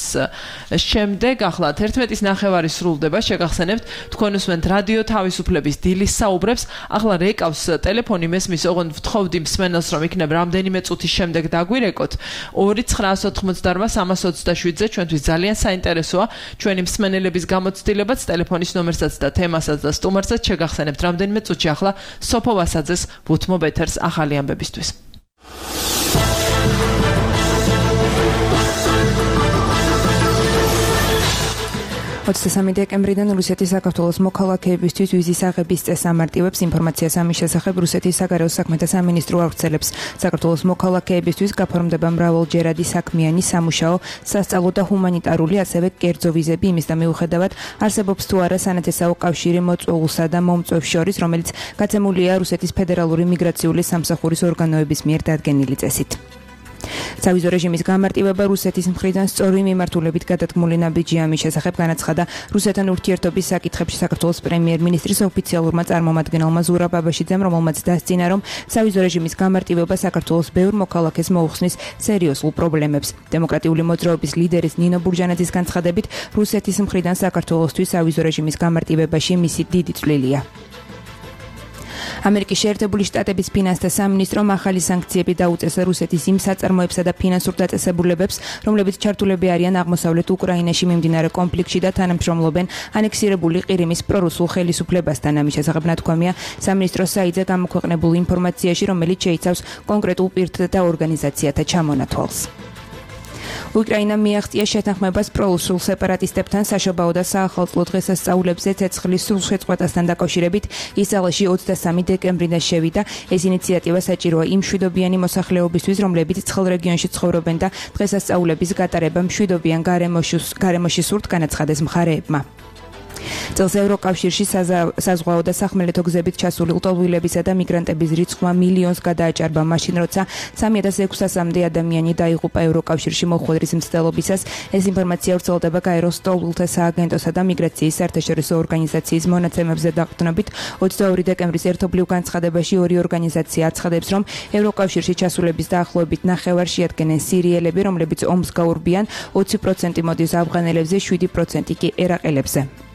D: შემდეგ, ახლა 11:09 სრულდება, შეგახსენებთ, თქვენ უსმენთ რადიო თავისუფლების დილის საუბრებს, ახლა რეკავს ტელეფონი მესმის, ოღონდ ვთხოვდი მსმენელს, რომ იქნებ რამდენიმე წუთის შემდეგ დაგვირეკოთ 2-988-327-ზე, ჩვენთვის ძალიან საინტერესოა ჩვენი მსმენელების გამოცდილებაც, ტელეფონის ნომერსაც და თემასაც და სტუმარსაც შეგახსენებთ რამდენიმე წუთში ახლა სოფო ვასაძეს ვუთმობ ეთერს ახალი ამბებისთვის.
B: 23 დეკემბრიდან რუსეთის საქართველოს მოქალაქეებისთვის ვიზის აღების წესს ამარტივებს ინფორმაციას ამის შესახებ რუსეთის საგარეო საქმეთა სამინისტრო ავრცელებს. საქართველოს მოქალაქეებისთვის გაფორმდება მრავალჯერადი საქმიანი, სამუშაო, სასწავლო და ჰუმანიტარული, ასევე კერძო ვიზები იმის და მიუხედავად არსებობს თუ არა სანათესაო კავშირი მოწვეულსა და მომწვევს შორის, რომელიც გაცემულია რუსეთის ფედერალური მიგრაციული სამსახურის ორგანოების მიერ დადგენილი წესით. სავიზო რეჟიმის გამარტივება რუსეთის მხრიდან სწორი მიმართულებით გადადგმული ნაბიჯი ამის შესახებ განაცხადა რუსეთთან ურთიერთობის საკითხებში საქართველოს პრემიერ-მინისტრის ოფიციალურმა წარმომადგენელმა ზურაბ აბაშიძემ, რომელმაც დასძინა, რომ სავიზო რეჟიმის გამარტივება საქართველოს ბევრ მოქალაქეს მოუხსნის სერიოზულ პრობლემებს. დემოკრატიული მოძრაობის ლიდერის ნინო ბურჟანაძის განცხადებით, რუსეთის მხრიდან საქართველოსთვის სავიზო რეჟიმის გამარტივებაში მისი დიდი წვლილია. ამერიკის შეერთებული შტატების ფინანსთა სამინისტრომ ახალი სანქციები დაუწესა რუსეთის იმ საწარმოებსა და ფინანსურ დაწესებულებებს, რომლებიც ჩართულები არიან აღმოსავლეთ უკრაინაში მიმდინარე კონფლიქტში და თანამშრომლობენ ანექსირებული ყირიმის პრორუსულ ხელისუფლებასთან. ამის შესახებ ნათქვამია სამინისტროს საიტზე გამოქვეყნებულ ინფორმაციაში, რომელიც შეიცავს კონკრეტულ პირთა და ორგანიზაციათა ჩამონათვალს. უკრაინა მიაღწია შეთანხმებას პრორუსულ სეპარატისტებთან საშობაო და საახალწლო დღესასწაულებზე ცეცხლის სრულშეწყვეტასთან დაკავშირებით ისრაელში 23 დეკემბრიდან შევიდა. ეს ინიციატივა საჭიროა იმ მშვიდობიანი მოსახლეობისთვის, რომლებიც ცხელ რეგიონში ცხოვრობენ და დღესასწაულების გატარება მშვიდობიან გარემოში სურთ, განაცხადეს მხარეებმა. წელს ევროკავშირში საზღვაო და სახმელეთო გზებით ჩასული ლტოლვილებისა და მიგრანტების რიცხვმა მილიონს გადააჭარბა მაშინ, როცა 3600-მდე ადამიანი დაიღუპა ევროკავშირში მოხვედრის მცდელობისას. ეს ინფორმაცია ვრცელდება გაეროს ლტოლვილთა სააგენტოსა და მიგრაციის საერთაშორისო ორგანიზაციის მონაცემებზე დაყრდნობით. 22 დეკემბრის ერთობლივ განცხადებაში ორი ორგანიზაცია აცხადებს, რომ ევროკავშირში ჩასულების დაახლოებით ნახევარს შეადგენენ სირიელები, რომლებიც ომს გაურბიან, 20% მოდის ავღანელებზე, 7% კი ერაყელებზე.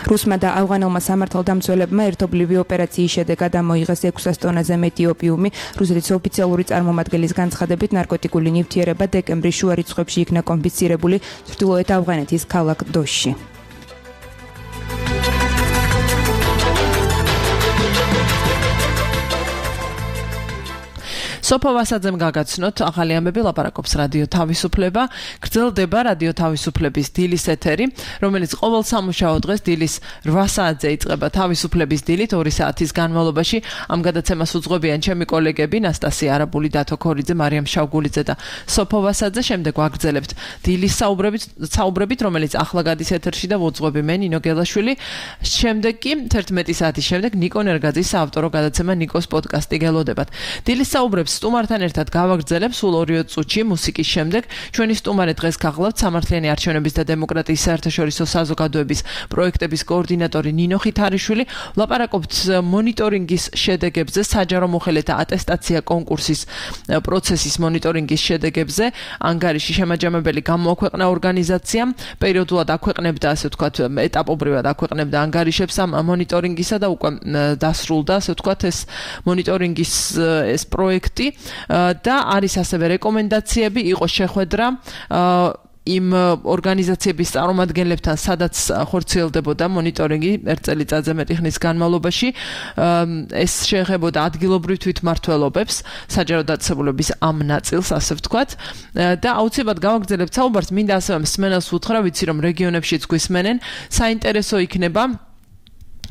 B: რუსმა და ავღანელმა სამართალდამცველებმა ერთობლივი ოპერაციის შედეგად ამოიღეს 600 ტონაზე მეტი ოპიუმი. რუსეთის ოფიციალური წარმომადგენლის განცხადებით, ნარკოტიკული ნივთიერება დეკემბრის შუა რიცხვებში იქნა კონფისკირებული ჩრდილოეთ ავღანეთის ქალაქ დოშში.
D: სოფო ვასაძემ გაგაცნოთ ახალი ამბები, ლაპარაკობს რადიო თავისუფლება. გრძელდება რადიო თავისუფლების დილის ეთერი, რომელიც ყოველ სამუშაო დღეს დილის 8 საათზე იწყება თავისუფლების დილით 2 საათის განმავლობაში. ამ გადაცემას უძღვებიან ჩემი კოლეგები ნასტასია არაბული, დათო ქორიძე, მარიამ შავგულიძე და სოფო ვასაძე. შემდეგ ვაგრძელებთ დილის საუბრებით, რომელიც ახლა გადის ეთერში და ვუძღვები მე ნინო გელაშვილი. შემდეგ კი 11 საათის შემდეგ ნიკო ნერგაძის საავტორო გადაცემა ნიკოს პოდკასტი გელოდებათ. დილის საუბრებს სტუმართან ერთად გავაგრძელებ სულ 2 წუთში მუსიკის შემდეგ. ჩვენი სტუმარი დღეს გახლავთ სამართლიანი არჩევნების და დემოკრატიის საერთაშორისო საზოგადოების პროექტების კოორდინატორი ნინო ხითარიშვილი. ლაპარაკობთ მონიტორინგის შედეგებზე, საჯარო მოხელეთა ატესტაცია კონკურსის პროცესის მონიტორინგის შედეგებზე. ანგარიში შემაჯამებელი გამოაქვეყნა ორგანიზაციამ, პერიოდულად აქვეყნებდა, ასე ვთქვათ, ეტაპობრივად აქვეყნებდა ანგარიშებს ამ მონიტორინგისა და უკვე დასრულდა, ასე ვთქვათ, ეს მონიტორინგის ეს პროექტი. და არის ასევე რეკომენდაციები, იყო შეხვედრა იმ ორგანიზაციების წარმომადგენლებთან, სადაც ხორციელდებოდა მონიტორინგი 1 წელიწადზე მეტი ხნის განმავლობაში. ეს შეეხებოდა ადგილობრივ თვითმმართველობებს, საჯარო დაწესებულების ამ ნაწილს, ასე ვთქვათ. და აუცილებლად გავაგრძელებთ საუბარს, მინდა ასევე მსმენელს უთხრა, ვიცი რომ რეგიონებშიც გვისმენენ, საინტერესო იქნება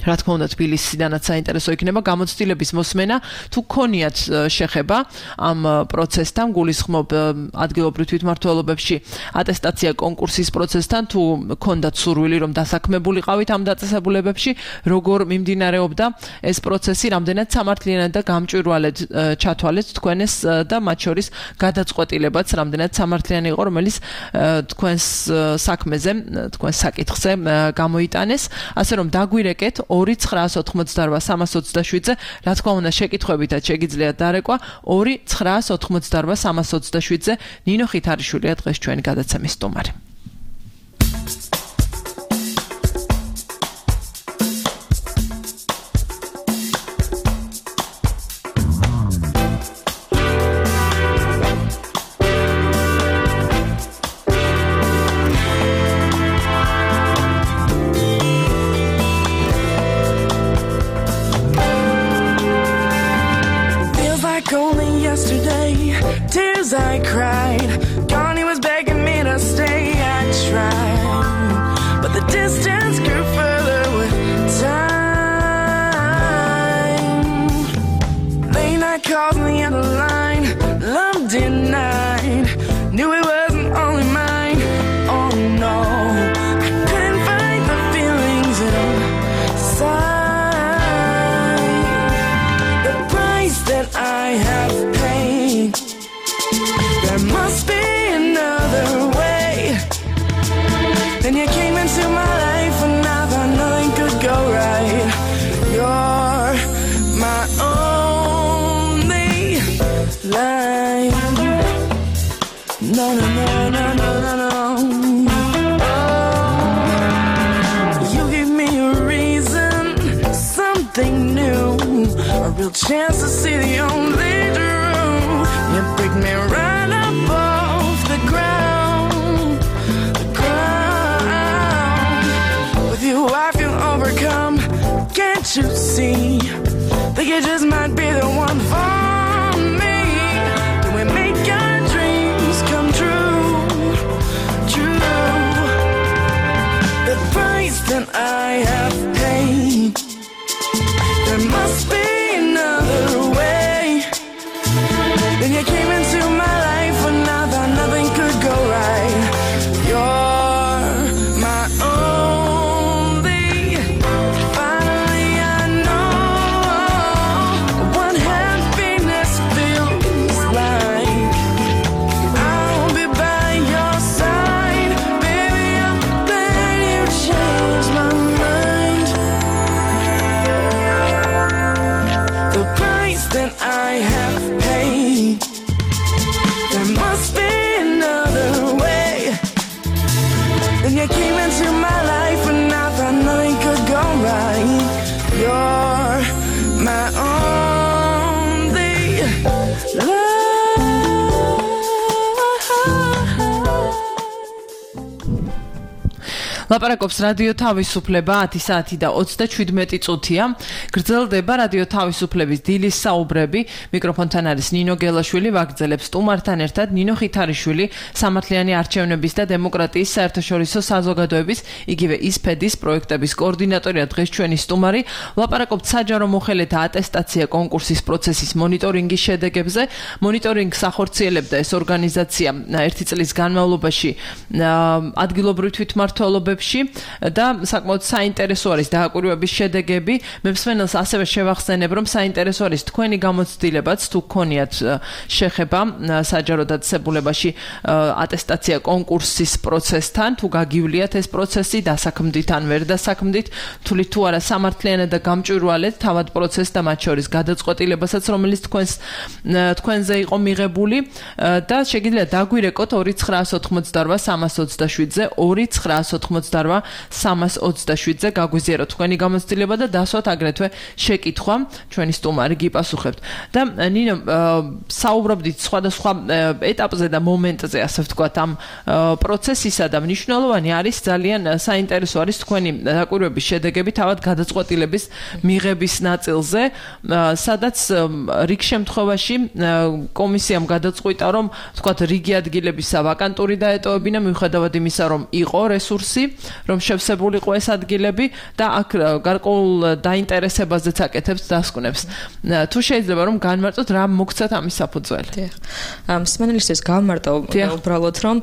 D: რა თქმა უნდა თბილისიდანაც საინტერესო იქნება გამოცდილების მოსმენა თუ გქონიათ შეხება ამ პროცესთან გულისხმობ ადგილობრივ თვითმმართველობებში ატესტაცია კონკურსის პროცესთან თუ გქონდათ სურვილი რომ დასაქმებულიყავით ამ დაწესებულებებში როგორ მიმდინარეობდა ეს პროცესი რამდენად სამართლიანად და გამჭვირვალედ ჩათვალეთ თქვენს და მათ შორის გადაწყვეტილებაც რამდენად სამართლიანი იყო რომელიც თქვენს საქმეზე თქვენს საკითხზე გამოიტანეს ასე რომ დაგვირეკეთ 2-988-327-ზე რა თქმა უნდა შეკითხვებითაც შეგიძლიათ დარეკვა 2-988-327-ზე ნინო ხითარიშვილია დღეს ჩვენი გადაცემის სტუმარი
F: Tears I cried, Connie was begging me to stay. I tried, but the distance grew further with time. Late night calls on the other line, love denied. Knew it wasn't only mine. Oh no, I couldn't fight the feelings inside. The price that I have paid. There must be another way. Then you came into my life and I thought nothing could go right. You're my only life. No, no, no, no, no, no, no. You give me a reason, something new, a real chance to see the only truth. You pick me right up off the ground, the ground. With you I feel overcome, can't you see? Think you just might be the one for me. Can we make our dreams come true? True. The price that I have paid. There must be another way. Then you came into my life when I thought nothing could go right. You're my only. Finally I know what happiness feels like. I'll be by your side, baby. I'm glad you changed my mind. The price that I have paid. There must be another way. Then you came into my life and I thought nothing could go right. You're my only love.
D: ლაპარაკობს რადიო თავისუფლება 10 საათი და 37 წუთია. გრძელდება რადიო თავისუფლების დილის საუბრები. მიკროფონთან არის ნინო გელაშვილი, ვაგრძელებს სტუმართან ერთად ნინო ხითარიშვილი, სამართლიანი არჩევნების და დემოკრატიის საერთაშორისო საზოგადოების, იგივე ისფედის პროექტების კოორდინატორია დღეს ჩვენი სტუმარი. ლაპარაკობთ საჯარო მოხელეთა ატესტაცია კონკურსის პროცესის მონიტორინგის შედეგებზე. მონიტორინგს ახორციელებდა ეს ორგანიზაცია ერთი წლის განმავლობაში ადგილობრივ თვითმმართველობებში და საკმაოდ საინტერესო არის დააკვირვების შედეგები. მე მსმენელს ასევე შევახსენებ, რომ საინტერესო არის თქვენი გამოცდილებაც, თუ გქონიათ შეხება საჯარო დაწესებულებაში ატესტაცია კონკურსის პროცესთან, თუ გაგიuliათ ეს პროცესი დასაქმდით ან ვერ დასაქმდით, თulit თუ არა სამართლიანად და გამჭვირვალედ თავად პროცესს და მათ შორის გადაწყვეტილებასაც, რომელიც თქვენზე იყო მიღებული და შეგიძლიათ დაგვირეკოთ 2-988-327-ზე 2-988-327-ზე გაგვიზიაროთ თქვენი გამოცდილება და დასვათ აგრეთვე შეკითხვა ჩვენი სტუმარი გიპასუხებთ. და ნინო საუბრობდით სხვადასხვა ეტაპზე და მომენტზე, ასე ვთქვათ, ამ პროცესისა და მნიშვნელოვანი არის ძალიან საინტერესო არის თქვენი დაკვირვების შედეგები თავად გადაწყვეტილების მიღების ნაწილზე, სადაც რიგ შემთხვევაში კომისიამ გადაწყვიტა, რომ ვთქვათ, რიგი ადგილებისა ვაკანტური დაეტოვებინა, მიუხედავად იმისა, რომ იყო რესურსი რომ შევსებულიყო ეს ადგილები და აქ გარკვეულ დაინტერესებაზეც აკეთებს დასკვნებს. თუ შეიძლება რომ განმარტოთ რა მოგცათ ამის საფუძველი.
E: მსმენელისთვის გავმარტო უბრალოდ რომ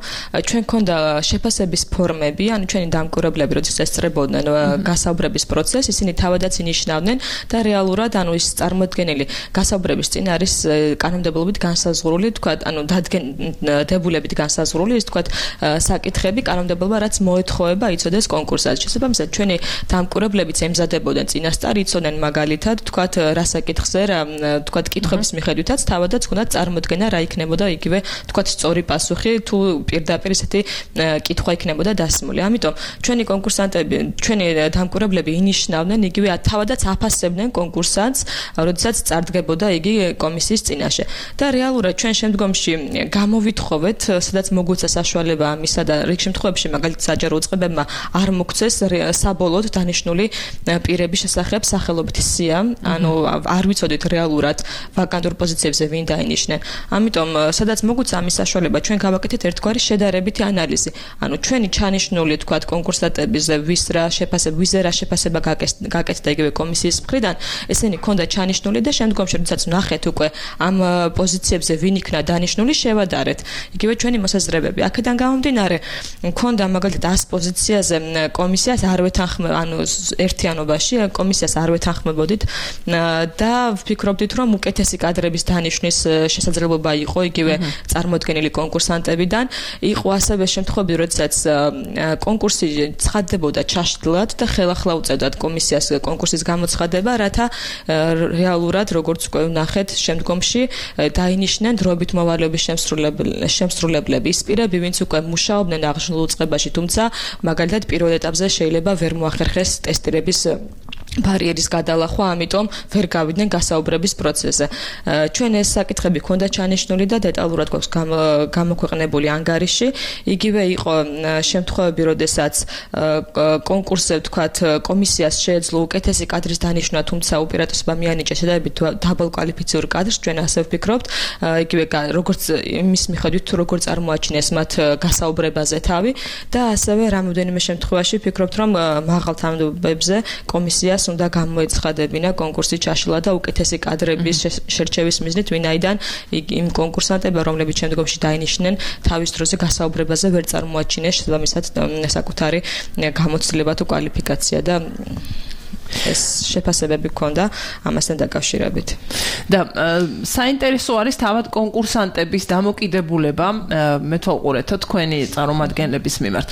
E: ჩვენ ქონდა შეფასების ფორმები, ანუ ჩვენი დამკვირვებლები როდესაც ესწრებოდნენ გასაუბრების პროცესს, ისინი თავადაც ინიშნავდნენ და რეალურად ანუ ის წარმოდგენილი გასაუბრების წინ არის კანონმდებლობით განსაზღვრული, თქვათ, ანუ დადგენდებულებით განსაზღვრული ის თქვათ საკითხები კანონმდებელმა რაც მოეთხოვება იცოდეს კონკურსად. შესაბამისად ჩვენი დამკვირვებლებიც ემზადებოდნენ წინასწარ, იცოდნენ მაგალითად თქვათ რა საკითხზე რა თქვათ კითხვების მიხედვითაც თავადაც ჰქონდათ წარმოდგენა რა იქნებოდა იგივე თქვათ სწორი პასუხი თუ პირდაპირ ესეთი კითხვა იქნებოდა დასმული. ამიტომ ჩვენი კონკურსანტები, ჩვენი დამკვირვებლები ინიშნავდნენ იგივე თავადაც აფასებდნენ კონკურსანტს, როდესაც წარდგებოდა იგი კომისიის წინაშე. და რეალურად ჩვენ შემდგომში გამოვითხოვეთ, სადაც მოგვეცა საშუალება ამისა და რიგ შემთხვევებში მაგალითად საჯარო უწყებებმა არ მოგცეს საბოლოოდ დანიშნული პირების შესახებ სახელობითი სია, ანუ არ ვიცოდით რეალურად ვაკანტურ პოზიციებზე ვინ დაინიშნენ. ამიტომ სადაც მოგვეცა ამის საშუალება, ჩვენ გავაკეთეთ ერთგვარი შედარებითი ანალიზი. ანუ ჩვენი ჩანიშნული თქვათ კონკურსანტების ვიზრა შეფასება გაკეთდა იგივე კომისიის მხრიდან, ესენი ქონდა ჩანიშნული და შემდგომში როდესაც ნახეთ უკვე ამ პოზიციებზე ვინ იქნა დანიშნული, შევადარეთ. იგივე ჩვენი მოსაზრებები. აქედან გამომდინარე, ქონდა მაგალითად 100 პოზიციაზე კომისიას არ ვეთანხმებოდით, ანუ ერთიანობაში კომისიას არ ვეთანხმებოდით და ვფიქრობდით, რომ უკეთესი კადრების დანიშნვის შესაძლებლობა იყო იგივე წარმოდგენილი კონკურსანტებიდან. იყო ასევე შემთხვევები, როდესაც კონკურსი ცხადდებოდა ჩაშლად და ხელახლა უწევდათ კომისიას კონკურსის გამოცხადება, რათა რეალურად როგორც უკვე ვნახეთ შემდგომში დაინიშნენ დროებით მოვალეობის შემსრულებლები, ის პირები, ვინც უკვე მუშაობდნენ აღნიშნულ უწყებაში, თუმცა მაგალითად პირველ ეტაპზე შეიძლება ვერ მოახერხეს ტესტირების ბარიერის გადალახვა, ამიტომ ვერ გავიდნენ გასაუბრების პროცესზე. ჩვენ ეს საკითხები ქონდა ჩანიშნული და დეტალურად გვაქვს გამოქვეყნებული ანგარიში. იგივე იყო შემთხვევები, როდესაც კონკურსზე თქვათ კომისიას შეეძლო უკეთესი კადრის დანიშვნა, თუმცა უპირატესობა მიანიჭა შედარებით დაბალ კვალიფიციურ კადრს, ჩვენ ასე ვფიქრობთ, იგივე როგორც იმის მიხედვით თუ როგორ წარმოაჩინეს მათ გასაუბრებაზე თავი და ასევე რამოდენიმე შემთხვევაში ვფიქრობთ, რომ მაღალ თანამდებობებზე კომისიას უნდა გამოეცხადებინა კონკურსი ჩაშლა და უკეთესი კადრების შერჩევის მიზნით, ვინაიდან იმ კონკურსანტებმა, რომლებიც შემდგომში დაინიშნენ, თავის დროზე გასაუბრებაზე ვერ წარმოაჩინეს შესაბამისად საკუთარი გამოცდილება თუ კვალიფიკაცია და ეს შეფასებები ქონდა ამასთან დაკავშირებით.
D: და საინტერესო არის თავად კონკურსანტების დამოკიდებულება მეთვალყურეთო თქვენი წარმომადგენლების მიმართ.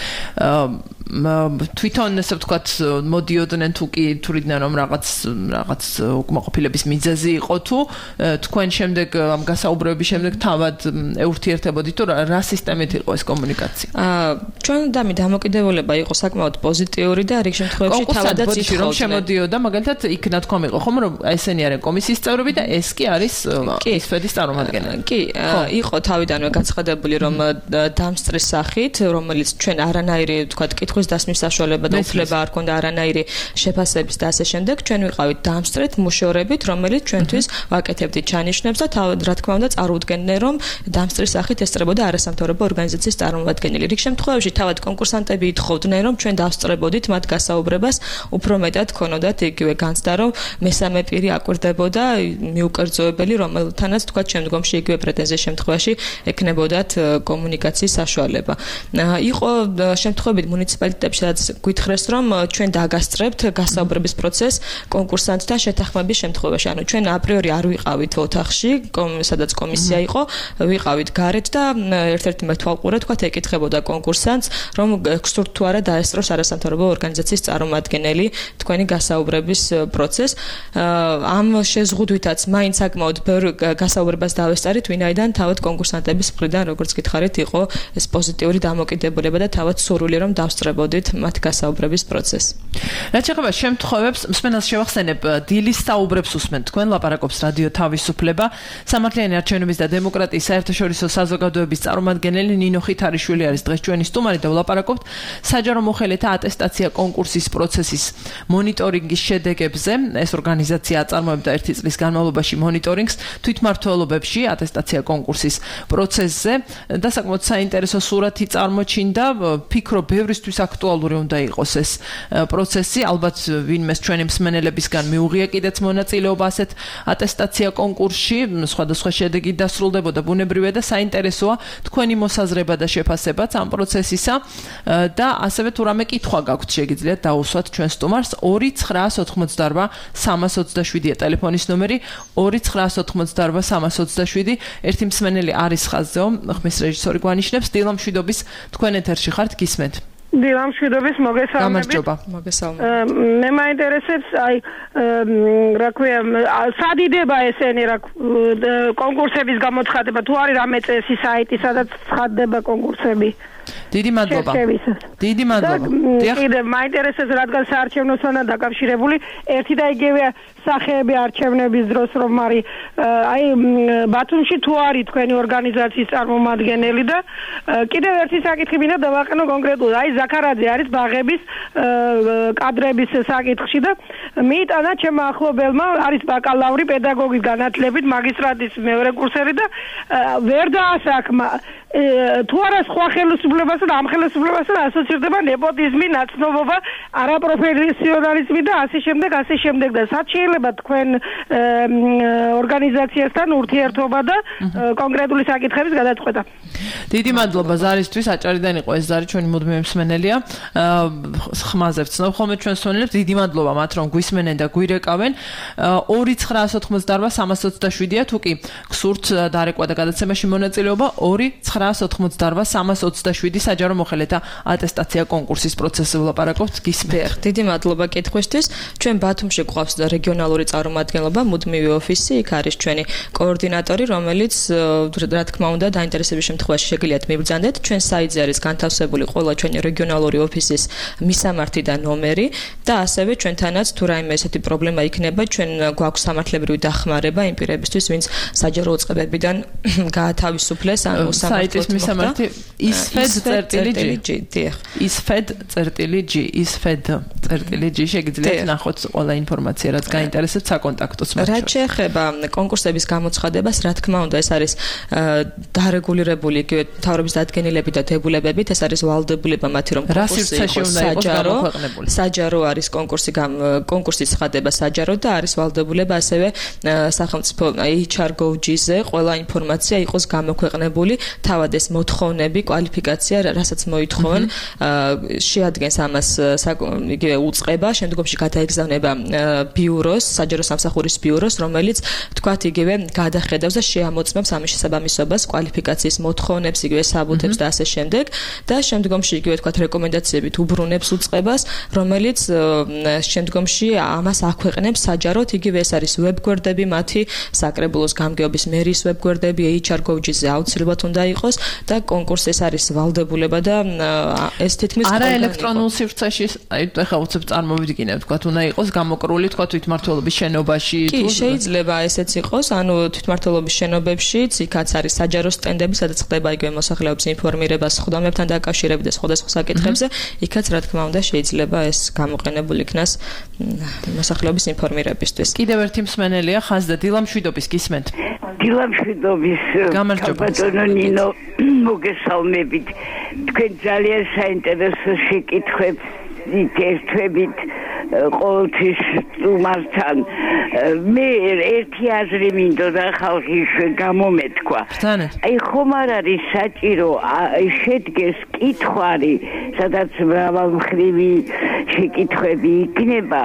D: თვითონ ესე ვთქვათ, მოდიოდნენ თუ კი თურიდნენ რომ რაღაც უკმაყოფილების მიზეზი იყო თუ თქვენ შემდეგ ამ გასაუბრების შემდეგ თავად ეურთიერთებოდით თუ რა სისტემით იყო ეს კომუნიკაცია?
E: ჩვენ დამოკიდებულება იყო საკმაოდ პოზიტიური და რიგ შემთხვევებში თავადაც
D: რომ შემოდიოდა მაგალითად იქ ნათქვამი იყო ხომ რომ ესენი არიან კომისიის წევრები და ეს კი არის ისფედის წარმომადგენელი.
E: კი, იყო თავიდანვე გაცხადებული რომ დამსწრის სახით, რომელიც ჩვენ არანაირი ვთქვათ კითხვის დასმის საშუალება და უფლება არ ქონდა არანაირი შეფასების და ასე შემდეგ, ჩვენ ვიყავით დამსწრეთ მუშაობებით, რომელიც ჩვენთვის ვაკეთებდით ჩანიშნებს და რა თქმა უნდა წარუდგენდნენ რომ დამსწრის სახით ესწრებოდა არასამთავრობო ორგანიზაციის წარმომადგენელი. რიგ შემთხვევებში თავად კონკურსანტები ითხოვდნენ რომ ჩვენ დავსწრებოდით მათ გასაუბრებას, უფრო მეტად ქონოდათ იგივე განცდა რომ მესამე პირი აკვირდებოდა მიუკერძოებელი, რომელთანაც თქვა შემდგომში იგივე პრეტენზიის შემთხვევაში ეკნებოდათ კომუნიკაციის საშუალება. იყო შემთხვევები მუნიციპალიტეტებში, სადაც გითხრეს რომ ჩვენ დაგასწრებთ გასაუბრების პროცესს კონკურსანტთან შეთანხმების შემთხვევაში. ანუ ჩვენ აპრიორი არ ვიყავით ოთახში, სადაც კომისია იყო, ვიყავით გარეთ და ერთ-ერთი მეთვალყურე თქვა ეკითხებოდა კონკურსანტს, რომ გსურთ თუ არა დაესწროს არასამთავრობო ორგანიზაციის წარმომადგენელი თქვენი გასაუბრების პროცესს. ამ შეზღუდვითაც მაინც საკმაოდ ბევრ გასაუბრებას დავესწარით, ვინაიდან თავად კონკურსანტების მხრიდან, როგორც გითხარით, იყო ეს პოზიტიური დამოკიდებულება და თავად სურვილი რომ დავსწრებოდით მათ გასაუბრების პროცესს.
D: რაც შეეხება შემთხვევებს, მსმენელს შევახსენებ, დილის საუბრებს უსმენთ თქვენ, ლაპარაკობს რადიო თავისუფლება, სამართლიანი არჩევნების და დემოკრატიის საერთაშორისო საზოგადოების წარმომადგენელი ნინო ხითარიშვილი არის დღეს ჩვენი სტუმარი და ვლაპარაკობთ საჯარო მოხელეთა ატესტაცია კონკურსის პროცესის მონიტორინგის შედეგებზე. ეს ორგანიზაცია აწარმოებდა 1 წლის განმავლობაში მონიტორინგს თვითმმართველობებში ატესტაცია კონკურსის პროცესზე და საკმაოდ საინტერესო სურათი წარმოჩინდა. ფიქრობ, ბევრისთვის აქ აქტუალური უნდა იყოს ეს პროცესი. ალბათ ვინმეს ჩვენი მსმენელებისგან მიუღია კიდეც მონაწილეობა ასეთ ატესტაცია კონკურსში, სხვადასხვა შედეგი დასრულდებოდა ბუნებრივია და საინტერესოა თქვენი მოსაზრება და შეფასებაც ამ პროცესისა და ასევე თუ რამე კითხვა გაქვთ შეგიძლიათ დაუსვათ ჩვენ სტუმარს 2988327 ტელეფონის ნომერი 2988327 ერთი მსმენელი არის ხაზზეო ხმის რეჟისორი გვანიშნებს დილა მშვიდობის თქვენ ეთერში ხართ გისმენთ
G: დილა მშვიდობის მოგესალმებით მე მაინტერესებს აი რა ქვია სადიდება ესენი რა კონკურსების გამოცხადება თუ არის რამე წესი საიტი სადაც ცხადდება კონკურსები
D: დიდი მადლობა. დიდი მადლობა.
G: კიდე მაინტერესებს რადგან საარჩევნოსთანაა დაკავშირებული ერთი და იგივე სახეები არჩევნების დროს რომ არის აი ბათუმში თუ არის თქვენი ორგანიზაციის წარმომადგენელი და კიდევ ერთი საკითხი მინდა დავაყენო კონკრეტულად აი ზაქარაძე არის ბაღების კადრების საკითხში და მიიტანა ჩემმა ახლობელმა არის ბაკალავრი პედაგოგის განათლებით მაგისტრატის მეორე კურსერი და ვერ დაასახმა თუ არა სხვა ხელისუფლებასთან ამ ხელისუფლებასთან ასოცირდება ნეპოტიზმი, ნაცნობობა, არაპროფესიონალიზმი და ასე შემდეგ და სად შეიძლება თქვენ ორგანიზაციასთან ურთიერთობა და კონკრეტული საკითხების გადაწყვეტა.
D: დიდი მადლობა ზარისთვის, აჭარიდან იყო ეს ზარი ჩვენი მუდმივი მსმენელია. ხმაზე ვცნობ ხოლმე ჩვენ მსმენელებს, დიდი მადლობა მათ რომ გვისმენენ და გვირეკავენ. 2988327-ია თუ კი გსურთ დარეკვა და გადაცემაში მონაწილეობა 2988327 საჯარო მოხელეთა ატესტაცია კონკურსის პროცესზე ვლაპარაკობთ გისმენთ.
E: დიდი მადლობა კითხვისთვის. ჩვენ ბათუმში გვყავს რეგიონალური წარმომადგენლობა, მუდმივი ოფისი, იქ არის ჩვენი კოორდინატორი, რომელიც რა თქმა უნდა დაინტერესების შემთხვევაში შეგიძლიათ მიბრძანდეთ. ჩვენ საიტზე არის განთავსებული ყველა ჩვენი რეგიონალური ოფისის მისამართი და ნომერი და ასევე ჩვენთანაც თუ რაიმე ესეთი პრობლემა იქნება, ჩვენ გვაქვს სამართლებრივი დახმარება იმ პირებისთვის, ვინც საჯარო უწყებებიდან გაათავისუფლეს ან
D: საიტის მისამართი isfed.g შეგიძლიათ ნახოთ ყველა ინფორმაცია რაც გაინტერესებთ საკონტაქტო
E: რა შეეხება კონკურსების გამოცხადებას რა თქმა უნდა ეს არის დარეგულირებული იგივე მთავრობის დადგენილებით და დებულებებით ეს არის ვალდებულება მათი რომ საჯარო არის კონკურსის ცხადება საჯარო და არის ვალდებულება ასევე სახელმწიფო HR.gov.ზე ყველა ინფორმაცია იყოს გამოქვეყნებული თავად ეს მოთხოვნები კვალიფიკაცია რასაც მოითხოვენ შეადგენს ამას იგივე უწყება შემდგომში გადაეგზავნება ბიუროს საჯარო სამსახურის ბიუროს რომელიც თქვათ იგივე გადახედავს და შეამოწმებს ამის შესაბამისობას კვალიფიკაციის მოთხოვნებს იგივე საბუთებს და ასე შემდეგ და შემდგომში იგივე თქვათ რეკომენდაციებით უბრუნებს უწყებას რომელიც შემდგომში ამას აქვეყნებს საჯაროდ იგივე ეს არის ვებგვერდები მათი საკრებულოს გამგეობის მერის ვებგვერდები HR.gov.ზე აუცილებლად უნდა იყოს და კონკურსი არის ვალდებულება და ეს თითქმის
D: არა ელექტრონულ სივრცეში აი ეხლა უცებ წარმოვიდგინებ თქვათ უნდა იყოს გამოკრული თქვათ თვითმმართველობის შენობაში
E: კი შეიძლება ესეც იყოს ანუ თვითმმართველობის შენობებშიც იქაც არის საჯარო სტენდები სადაც ხდება იგივე მოსახლეობის ინფორმირება სხდომებთან დაკავშირებით და სხვადასხვა საკითხებზე იქაც რა თქმა უნდა შეიძლება ეს გამოყენებული იქნას მოსახლეობის ინფორმირებისთვის
D: კიდევ ერთი მსმენელია ხაზდა დილა მშვიდობის გისმენთ
H: დილა მშვიდობის ბატონო ნინო მოგესალმებით თქვენ ძალიან საინტერესო შეკითხვებს ითერთვებით ყოველთვის სტუმართან მე ერთი აზრი მინდოდა ხალხის გამომეთქვა აი ხომ არ არის საჭირო შედგეს კითხვარი სადაც მრავალმხრივი შეკითხვები იქნება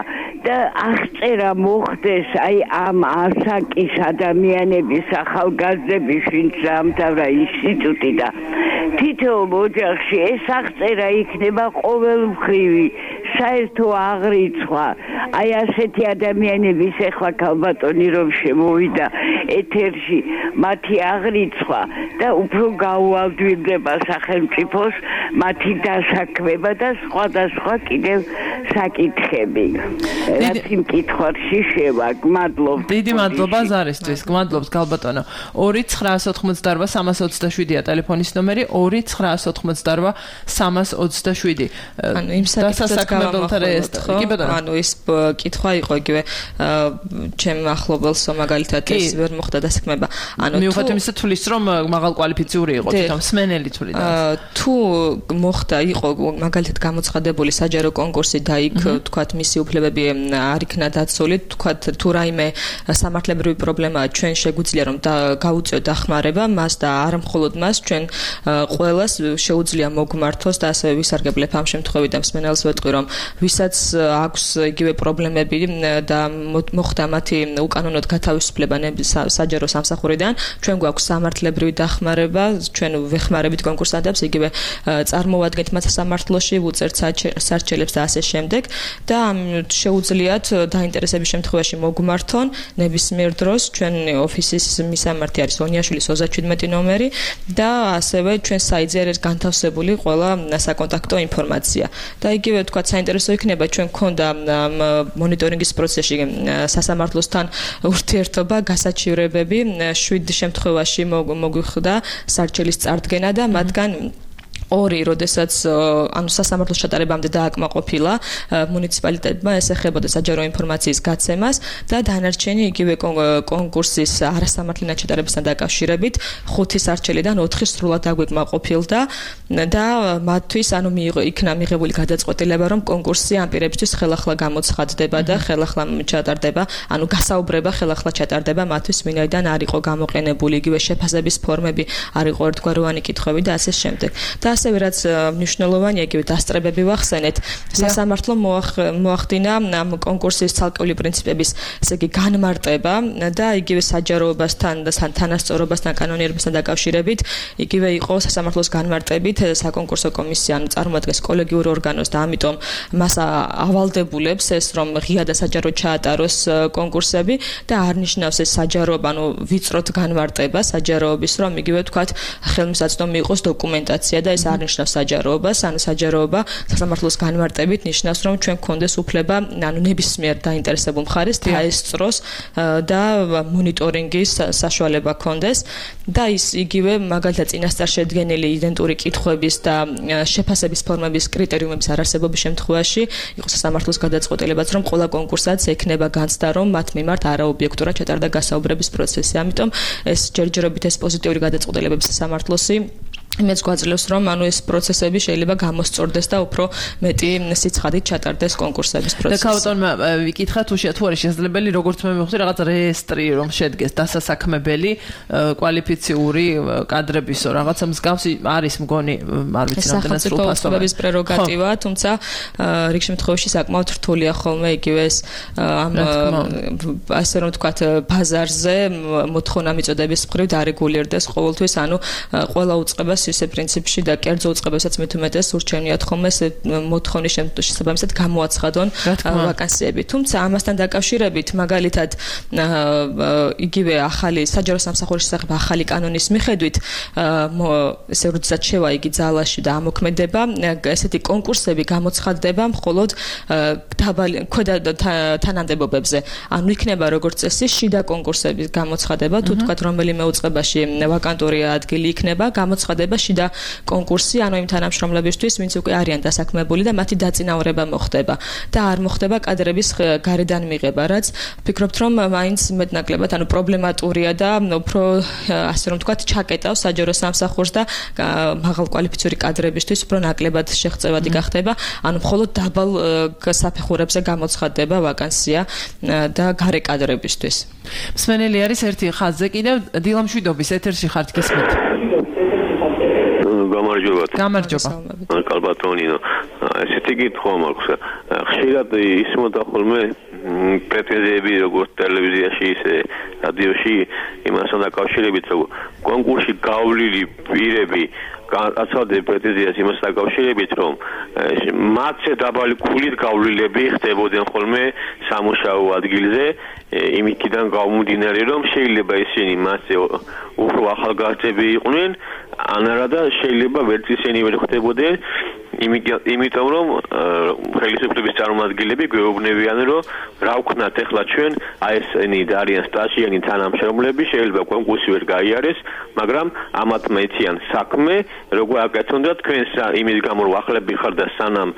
H: და აღწერა მოხდეს აი ამ ასაკის ადამიანების ახალგაზრდების ვინც დაამთავრა ინსტიტუტი და თითოეულ ოჯახში ეს აღწერა იქნება ყოველმხრივი საერთო აღრიცხვა აი ასეთი ადამიანების ეხლა ქალბატონი რომ შემოვიდა ეთერში მათი აღრიცხვა და უფრო გაუვალდვირდება სახელმწიფოს მათი დასაქმება და სხვადასხვა კიდევ საკითხები რაც იმ კითხვაში შევა გმადლობთ
D: დიდი მადლობა ზარისთვის გმადლობთ ქალბატონო 2988327-ია ტელეფონის ნომერი 2988327
E: ანუ იმ საკითხს ანუ ის კითხვა იყო იგივე ჩემ ახლობელს მაგალითად ეს ვერ მოხდა დასაქმება
D: ანუ მიუხედავად იმისა თulis რომ მაღალ კვალიფიციური იყო თვითონ მსმენელი თulis
E: თუ მოხდა იყო მაგალითად გამოცხადებული საჯარო კონკურსი და იქ თქვათ მისი უფლებები არ იქნა დაცული, თქვათ თუ რაიმე სამართლებრივი პრობლემაა, ჩვენ შეგვიძლია რომ გავუწიოთ დახმარება მას და არ მხოლოდ მას, ჩვენ ყველას შეუძლია მოგმართოს და ასევე ვისარგებლებ ამ შემთხვევით და მსმენელს ვეტყვი რომ ვისაც აქვს იგივე პრობლემები და მოხდა მათი უკანონოდ გათავისუფლება საჯარო სამსახურიდან, ჩვენ გვაქვს სამართლებრივი დახმარება, ჩვენ ვეხმარებით კონკურსანტებს, იგივე წარმოვადგენთ მათ სამართლოში, ვუწერთ სარჩელებს და ასე შემდეგ და შეუძლიათ დაინტერესების შემთხვევაში მოგმართონ ნებისმიერ დროს, ჩვენ ოფისის მისამართი არის ონიაშვილის 37 ნომერი და ასევე ჩვენ საიტზე არის განთავსებული ყველა საკონტაქტო ინფორმაცია. და იგივე თქვა საინტერესო იქნება ჩვენ გქონდა მონიტორინგის პროცესში სასამართლოსთან ურთიერთობა, გასაჩივრებები, 7 შემთხვევაში მოგვიხდა სარჩელის წარდგენა და მათგან ორი, როდესაც ანუ სასამართლოს ჩატარებამდე დააკმაყოფილა მუნიციპალიტეტმა, ეს ეხებოდა საჯარო ინფორმაციის გაცემას და დანარჩენი იგივე კონკურსის არასამართლიანად ჩატარებასთან დაკავშირებით 5 სარჩელიდან 4 სრულად დაგვეკმაყოფილდა და მათთვის ანუ იქნა მიღებული გადაწყვეტილება, რომ კონკურსი ამ პირებისთვის ხელახლა გამოცხადდება და ხელახლა ჩატარდება, ანუ გასაუბრება ხელახლა ჩატარდება მათთვის, ვინაიდან არ იყო გამოყენებული იგივე შეფასების ფორმები, არ იყო ერთგვაროვანი კითხვები და ასე შემდეგ. და ასევე რაც მნიშვნელოვანია, იგივე დასწრებები ვახსენეთ, სასამართლო მოახდინა ამ კონკურსის ცალკეული პრინციპების, ესე იგი განმარტება და იგივე საჯაროებასთან და თანასწორობასთან, კანონიერებასთან დაკავშირებით, იგივე იყო სასამართლოს განმარტებით საკონკურსო კომისია, ანუ წარმოადგენს კოლეგიურ ორგანოს და ამიტომ მას ავალდებულებს ეს, რომ ღია და საჯარო ჩაატაროს კონკურსები და არ ნიშნავს ეს საჯაროობა, ანუ ვიწროთ განმარტება საჯაროობის, რომ იგივე თქვათ ხელმისაწვდომი იყოს დოკუმენტაცია და ეს არ ნიშნავს საჯაროობას, ანუ საჯაროობა სასამართლოს განმარტებით ნიშნავს, რომ ჩვენ გქონდეს უფლება, ანუ ნებისმიერ დაინტერესებულ მხარეს დაესწროს და მონიტორინგის საშუალება გქონდეს და ის იგივე მაგალითად წინასწარ შედგენილი იდენტური კითხვების და შეფასების ფორმების კრიტერიუმების არარსებობის შემთხვევაში იყო სასამართლოს გადაწყვეტილებაც, რომ ყველა კონკურსანტს ექნება განცდა, რომ მათ მიმართ არაობიექტურად ჩატარდა გასაუბრების პროცესი. ამიტომ ეს ჯერჯერობით ეს პოზიტიური გადაწყვეტილებები სასამართლოსი იმედს გვაძლევს, რომ ანუ ეს პროცესები შეიძლება გამოსწორდეს და უფრო მეტი სიცხადით ჩატარდეს კონკურსების პროცესი. და ქაუტონმა ვიკითხა თუ არის შესაძლებელი, როგორც მე მივხვდი, რაღაც რეესტრი რომ შედგეს დასასაქმებელი კვალიფიციური კადრებისო, რაღაცა მსგავსი არის მგონი, არ ვიცი რამდენად სრულფასოვანი პრეროგატივა, თუმცა რიგ შემთხვევაში საკმაოდ რთულია ხოლმე იგივე ეს ამ ასე რომ ვთქვათ ბაზარზე მოთხოვნა მიწოდების მხრივ დარეგულირდეს ყოველთვის, ანუ ყველა უწყებას ისე პრინციპში და კერძო უწყებასაც მithumetes ურჩევნიათ ხოლმე ეს მოთხოვნის შესაბამისად გამოაცხადონ ვაკანსიები. თუმცა ამასთან დაკავშირებით მაგალითად იგივე ახალი საჯარო სამსახურის შესახებ ახალი კანონის მიხედვით ესე როდესაც შევა იგი ძალაში და ამოქმედება, ესეთი კონკურსები გამოცხადდება მხოლოდ ქვედა თანამდებობებზე. ანუ იქნება როგორც წესი შიდა კონკურსების გამოცხადება, თუ თქვათ რომელიმე უწყებაში ვაკანტური ადგილი იქნება, გამოცხადება შიდა კონკურსი, ანუ იმ თანამშრომლებისთვის, ვინც უკვე არიან დასაქმებული და მათი დაწინაურება მოხდება და არ მოხდება კადრების გარედან მიღება, რაც ვფიქრობთ, რომ მაინც მეტნაკლებად, ანუ პრობლემატურია და უფრო ასე რომ ვთქვათ, ჩაკეტავს საჯარო სამსახურს და მაღალკვალიფიციური კადრებისთვის უფრო ნაკლებად შეღწევადი გახდება, ანუ მხოლოდ დაბალ საფეხურებზე გამოცხადდება ვაკანსია და გარე კადრებისთვის.
D: მსმენელი არის ერთი ხაზზე კიდევ დილამშვიდობის ეთერში ხართ გესმით. გამარჯობა.
I: კალბატონინო. ესეთი კითხვა მაქვს. ხშირად ისმოდა ხოლმე პრეტენზიები როგორც ტელევიზიაში, ისე რადიოში იმასთან დაკავშირებით, რომ კონკურსში გავლილი პირები აცავდნენ პრეტენზიას იმასთან დაკავშირებით, რომ მათზე დაბალი ქულით გავლილები ხდებოდნენ ხოლმე სამუშაო ადგილზე, იმითიდან გამომდინარე, რომ შეიძლება ისინი მასზე უფრო ახალგაზრდები იყვნენ, ანარა და შეიძლება ვერც ისინი ვერ ხდებოდნენ, იმიტომ რომ ხელისუფლების წარმომადგენლები გვეუბნებიან, რომ რა ვქნათ ახლა ჩვენ, აი ესენი არიან სტაჟიანი თანამშრომლები, შეიძლება კონკურსი ვერ გაიარეს, მაგრამ ამათ მეციან საქმე, როგორ აკეთონ და თქვენ იმის გამო რომ ახლები ხარ და სანამ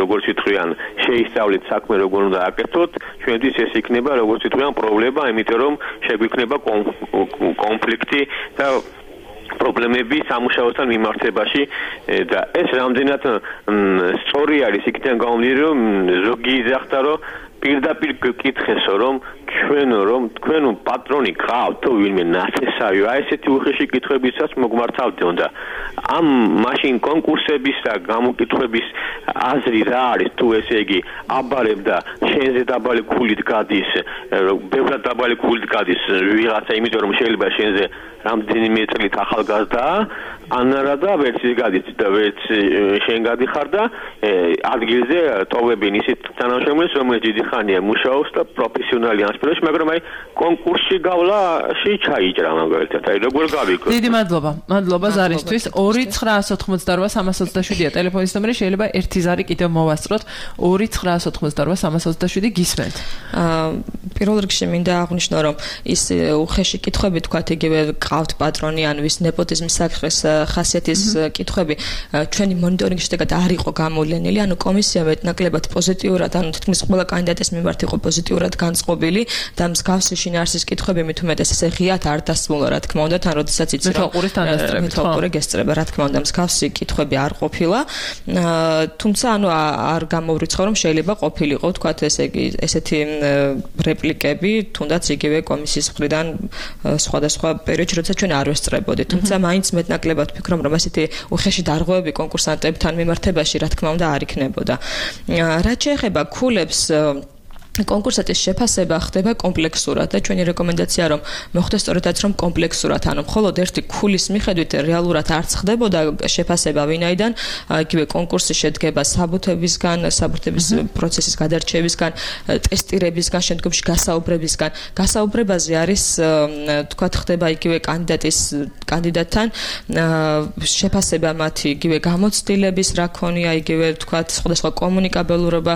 I: როგორც ვიტყვიან, შეისწავლეთ საქმე როგორ უნდა აკეთოთ, ჩვენთვის ეს იქნება როგორც ვიტყვიან პრობლემა, იმიტომ რომ შეგვიქნება კონფლიქტი და პრობლემები სამუშაოსთან მიმართებაში და ეს რამდენად სწორი არის იქიდან გამომდინარე რომ ზოგი იძახდა რომ პირდაპირ გკითხესო რომ თქვენ პატრონი გყავთ თუ ვინმე ნათესავი აი ესეთი უხეში კითხვებისაც მოგმართავდეო და ამ მაშინ კონკურსების და გამოკითხვების აზრი რა არის თუ ესე იგი აბარებ და შენზე დაბალი ქულით გადის ბევრად დაბალი ქულით გადის ვიღაცა იმიტომ რომ შეიძლება შენზე რამდენიმე წლით ახალგაზრდაა ან არა და ვერც ის გადის და ვერც შენ გადიხარ და ადგილზე ტოვებენ ისეთ თანამშრომლებს რომელიც დიდი ხანია მუშაობს და პროფესიონალი ასპირანტი მაგრამ აი კონკურსში გავლაში ჩაიჭრა მაგალითად აი როგორ გავიქო
D: დიდი მადლობა ზარისთვის 2988327 ტელეფონის ნომერი შეიძლება ერთი ზარი კიდევ მოვასწროთ 2988327 გისმენთ
E: პირველ რიგში მინდა აღვნიშნო რომ ის უხეში კითხვები თქვათ იგივე ყავთ პატრონი ან ვის ნეპოტიზმის საკითხის ხასიათის კითხვები ჩვენი მონიტორინგის შედეგად არ იყო გამოვლენილი ანუ კომისია მეტნაკლებად პოზიტიურად ანუ თითქმის ყველა კანდიდატის მიმართ იყო პოზიტიურად განწყობილი და მსგავსი შინაარსის კითხვები მით უმეტეს ესე ღიად არ დასმულა რა თქმა უნდა თან როდესაც იცი რომ მეთვალყური გესწრება რა თქმა უნდა მსგავსი კითხვები არ ყოფილა თუმცა ანუ არ გამოვრიცხო რომ შეიძლება ყოფილიყო თქვათ ესე იგი ესეთი რეპლიკები თუნდაც იგივე კომისიის მხრიდან სხვადასხვა პერიოდში როცა ჩვენ არ ვესწრებოდით თუმცა მაინც მეტნაკლებად ვფიქრობ რომ ესეთი უხეში დარღვევები კონკურსანტებთან მიმართებაში რა თქმა უნდა არ იქნებოდა რაც შეეხება ქულებს კონკურსატის შეფასება ხდება კომპლექსურად და ჩვენი რეკომენდაცია რომ მოხდეს სწორედაც რომ კომპლექსურად ანუ მხოლოდ ერთი ქულის მიხედვით რეალურად არც ხდებოდა შეფასება ვინაიდან იგივე კონკურსი შედგება საბუთებისგან საბუთების პროცესის გადარჩევისგან ტესტირებისგან შემდგომში გასაუბრებისგან გასაუბრებაზე არის თქვათ ხდება იგივე კანდიდატთან შეფასება მათი იგივე გამოცდილების რა ქონია იგივე თქვათ სხვადასხვა კომუნიკაბელურობა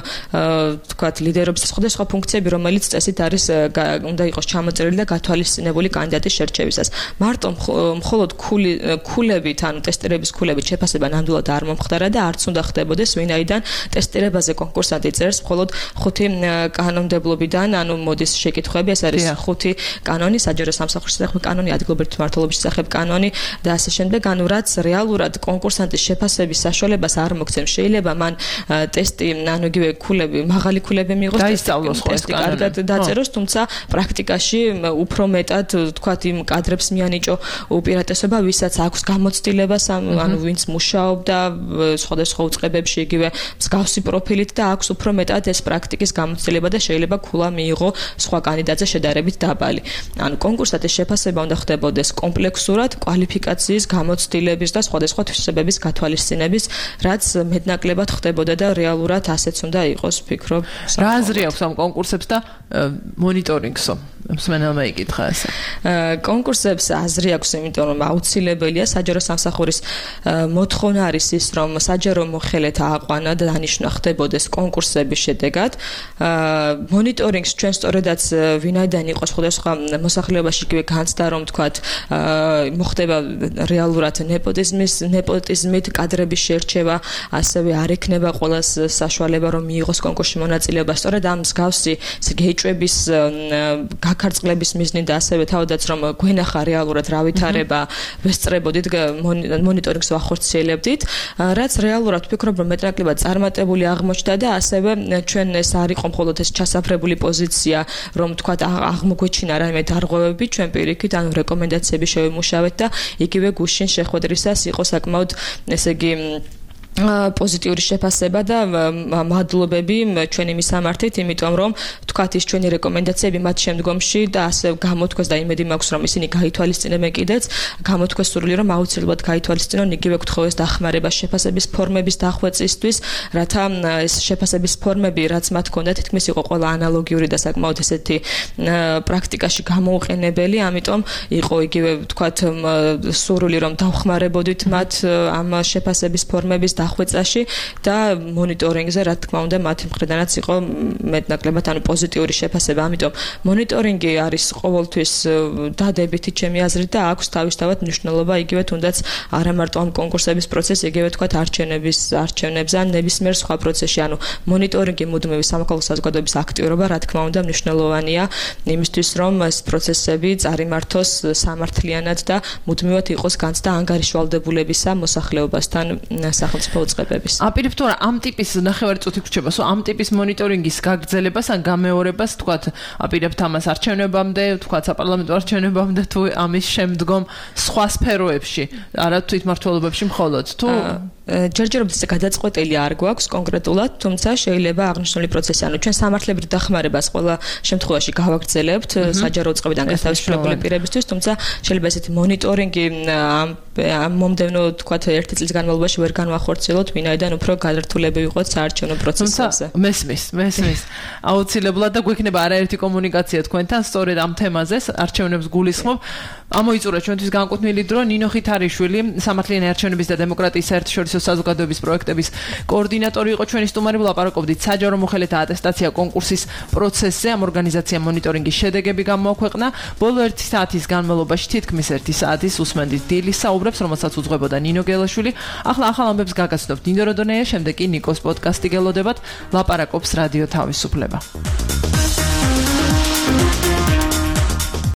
E: თქვათ ლიდერობის სხვა ფუნქციები, რომელიც წესით არის უნდა იყოს ჩამოწერილი და გათვალისწინებული კანდიდატის შერჩევისას. მარტო მხოლოდ ქულებით, ანუ ტესტირების ქულებით შეფასება ნამდვილად არ მომხდარა და არც უნდა ხდებოდეს, ვინაიდან ტესტირებაზე კონკურსანტი წერს მხოლოდ 5 კანონმდებლობიდან, ანუ მოდის შეკითხვები, ეს არის 5 კანონი, საჯარო სამსახურის შესახებ კანონი, ადგილობრივი მმართველობის შესახებ კანონი და ასე შემდეგ, ანუ რაც რეალურად კონკურსანტის შეფასების საშუალებას არ მოგცემს, შეიძლება მან ტესტი, ანუ იგივე ქულები, მაღალი ქულები მიიღოს ტესტი კარგად დაწეროს, თუმცა პრაქტიკაში უფრო მეტად თქვათ იმ კადრებს მიანიჭო უპირატესობა, ვისაც აქვს გამოცდილება, ანუ ვინც მუშაობდა სხვადასხვა უწყებებში იგივე მსგავსი პროფილით და აქვს უფრო მეტად ეს პრაქტიკის გამოცდილება და შეიძლება ქულა მიიღო სხვა კანდიდატზე შედარებით დაბალი. ანუ კონკურსატის შეფასება უნდა ხდებოდეს კომპლექსურად, კვალიფიკაციის, გამოცდილების და სხვადასხვა თვისებების გათვალისწინების, რაც მეტნაკლებად ხდებოდა და რეალურად ასეც უნდა იყოს, ვფიქრობ.
D: რა აზრი აქვს ამ კონკურსებს და მონიტორინგსო? მსმენელმა იკითხა ესე.
E: კონკურსებს აზრი აქვს, იმიტომ რომ აუცილებელია საჯარო სამსახურის მოთხოვნა არის ის, რომ საჯარო მოხელეთ ააყვანა და დანიშნა ხდებოდეს კონკურსების შედეგად. მონიტორინგს ჩვენ სწორედაც ვინაიდან იყო სხვადასხვა მოსახლეობაში იგივე განცდა, რომ თქვათ მოხდება რეალურად ნეპოტიზმით კადრების შერჩევა, ასევე არ ექნება ყველას საშუალება რომ მიიღოს კონკურსში მონაწილეობა. სწორედ ამ მსგავსი გეჭვების გაქარწყლების მიზნით და ასევე თავადაც რომ გვენახა რეალურად რა ვითარება ვესწრებოდით მონიტორინგს ვახორციელებდით, რაც რეალურად ვფიქრობ რომ მეტნაკლებად წარმატებული აღმოჩნდა და ასევე ჩვენ ეს არ იყო მხოლოდ ეს ჩასაფრებული პოზიცია, რომ თქვათ აღმოგვეჩინა რაიმე დარღვევები, ჩვენ პირიქით ანუ რეკომენდაციები შევიმუშავეთ და იგივე გუშინ შეხვედრისას იყო საკმაოდ ესე იგი პოზიტიური შეფასება და მადლობები ჩვენი მისამართით, იმიტომ რომ თქვათ ის ჩვენი რეკომენდაციები მათ შემდგომში და ასე გამოთქვეს და იმედი მაქვს რომ ისინი გაითვალისწინებენ კიდეც, გამოთქვეს სურვილი რომ აუცილებლად გაითვალისწინონ იგივე გთხოვეს დახმარება შეფასების ფორმების დახვეწისთვის, რათა ეს შეფასების ფორმები, რაც მათ ჰქონდა, თითქმის იყო ყველა ანალოგიური და საკმაოდ ესეთი პრაქტიკაში გამოუყენებელი, ამიტომ იყო იგივე თქვათ სურვილი რომ დავხმარებოდით მათ ამ შეფასების ფორმების დახვეწაში და მონიტორინგზე, რა თქმა უნდა, მათი მხრიდანაც იყო მეტნაკლებად პოზიტიური შეფასება. ამიტომ მონიტორინგი არის ყოველთვის დადებითი ჩემი აზრით და აქვს თავისთავად მნიშვნელობა იგივე თუნდაც არა მარტო ამ კონკურსების პროცესი, იგივე თქვათ არჩევნებზე ან ნებისმიერ სხვა პროცესში. ანუ მონიტორინგი მუდმივი სამოქალაქო საზოგადოების აქტიურობა, რა თქმა უნდა, მნიშვნელოვანია იმისთვის, რომ ეს პროცესები წარიმართოს სამართლიანად და მუდმივად იყოს განცდა ანგარიშვალდებულებისა მოსახლეობასთან სახელმწიფო უწყებების.
D: აპირებთ თუ ამ ტიპის ნახევარი წუთი გრჩება, ამ ტიპის მონიტორინგის გაგრძელებას ან გამეორებას თქვათ აპირებთ ამას არჩევნებამდე, თქვათ საპარლამენტო არჩევნებამდე თუ ამის შემდგომ სხვა სფეროებში, არა თვითმმართველობებში მხოლოდ თუ
E: ჯერჯერობით გადაწყვეტილი არ გვაქვს კონკრეტულად, თუმცა შეიძლება აღნიშნული პროცესი, ანუ ჩვენ სამართლებრივ დახმარებას ყველა შემთხვევაში გავაგრძელებთ საჯარო უწყებიდან გათავისუფლებული პირებისთვის, თუმცა შეიძლება ესეთი მონიტორინგი ამ მომდევნო თქვათ 1 წლის განმავლობაში ვერ განვახორციელოთ, ვინაიდან უფრო გადართულები ვიყოთ საარჩევნო პროცესებზე.
D: მესმის. აუცილებლად და გვექნება არაერთი კომუნიკაცია თქვენთან სწორედ ამ თემაზე, არჩევნებს გულისხმობ. ამოიწურა ჩვენთვის განკუთვნილი დრო ნინო ხითარიშვილი, სამართლიანი არჩევნების და დემოკრატიის საერთაშორისო საზოგადოების პროექტების კოორდინატორი იყო ჩვენი სტუმარი. ვლაპარაკობდით საჯარო მოხელეთა ატესტაცია კონკურსის პროცესზე. ამ ორგანიზაციამ მონიტორინგის შედეგები გამოაქვეყნა. ბოლო 1 საათის განმავლობაში თითქმის 1 საათის უსმენდით დილის საუბრებს, რომელსაც უძღვებოდა ნინო გელაშვილი. ახლა ახალ ამბებს გაგაცნობთ ნინო როდონეა, შემდეგ კი ნიკოს პოდკასტი გელოდებათ. ლაპარაკობს რადიო თავისუფლება.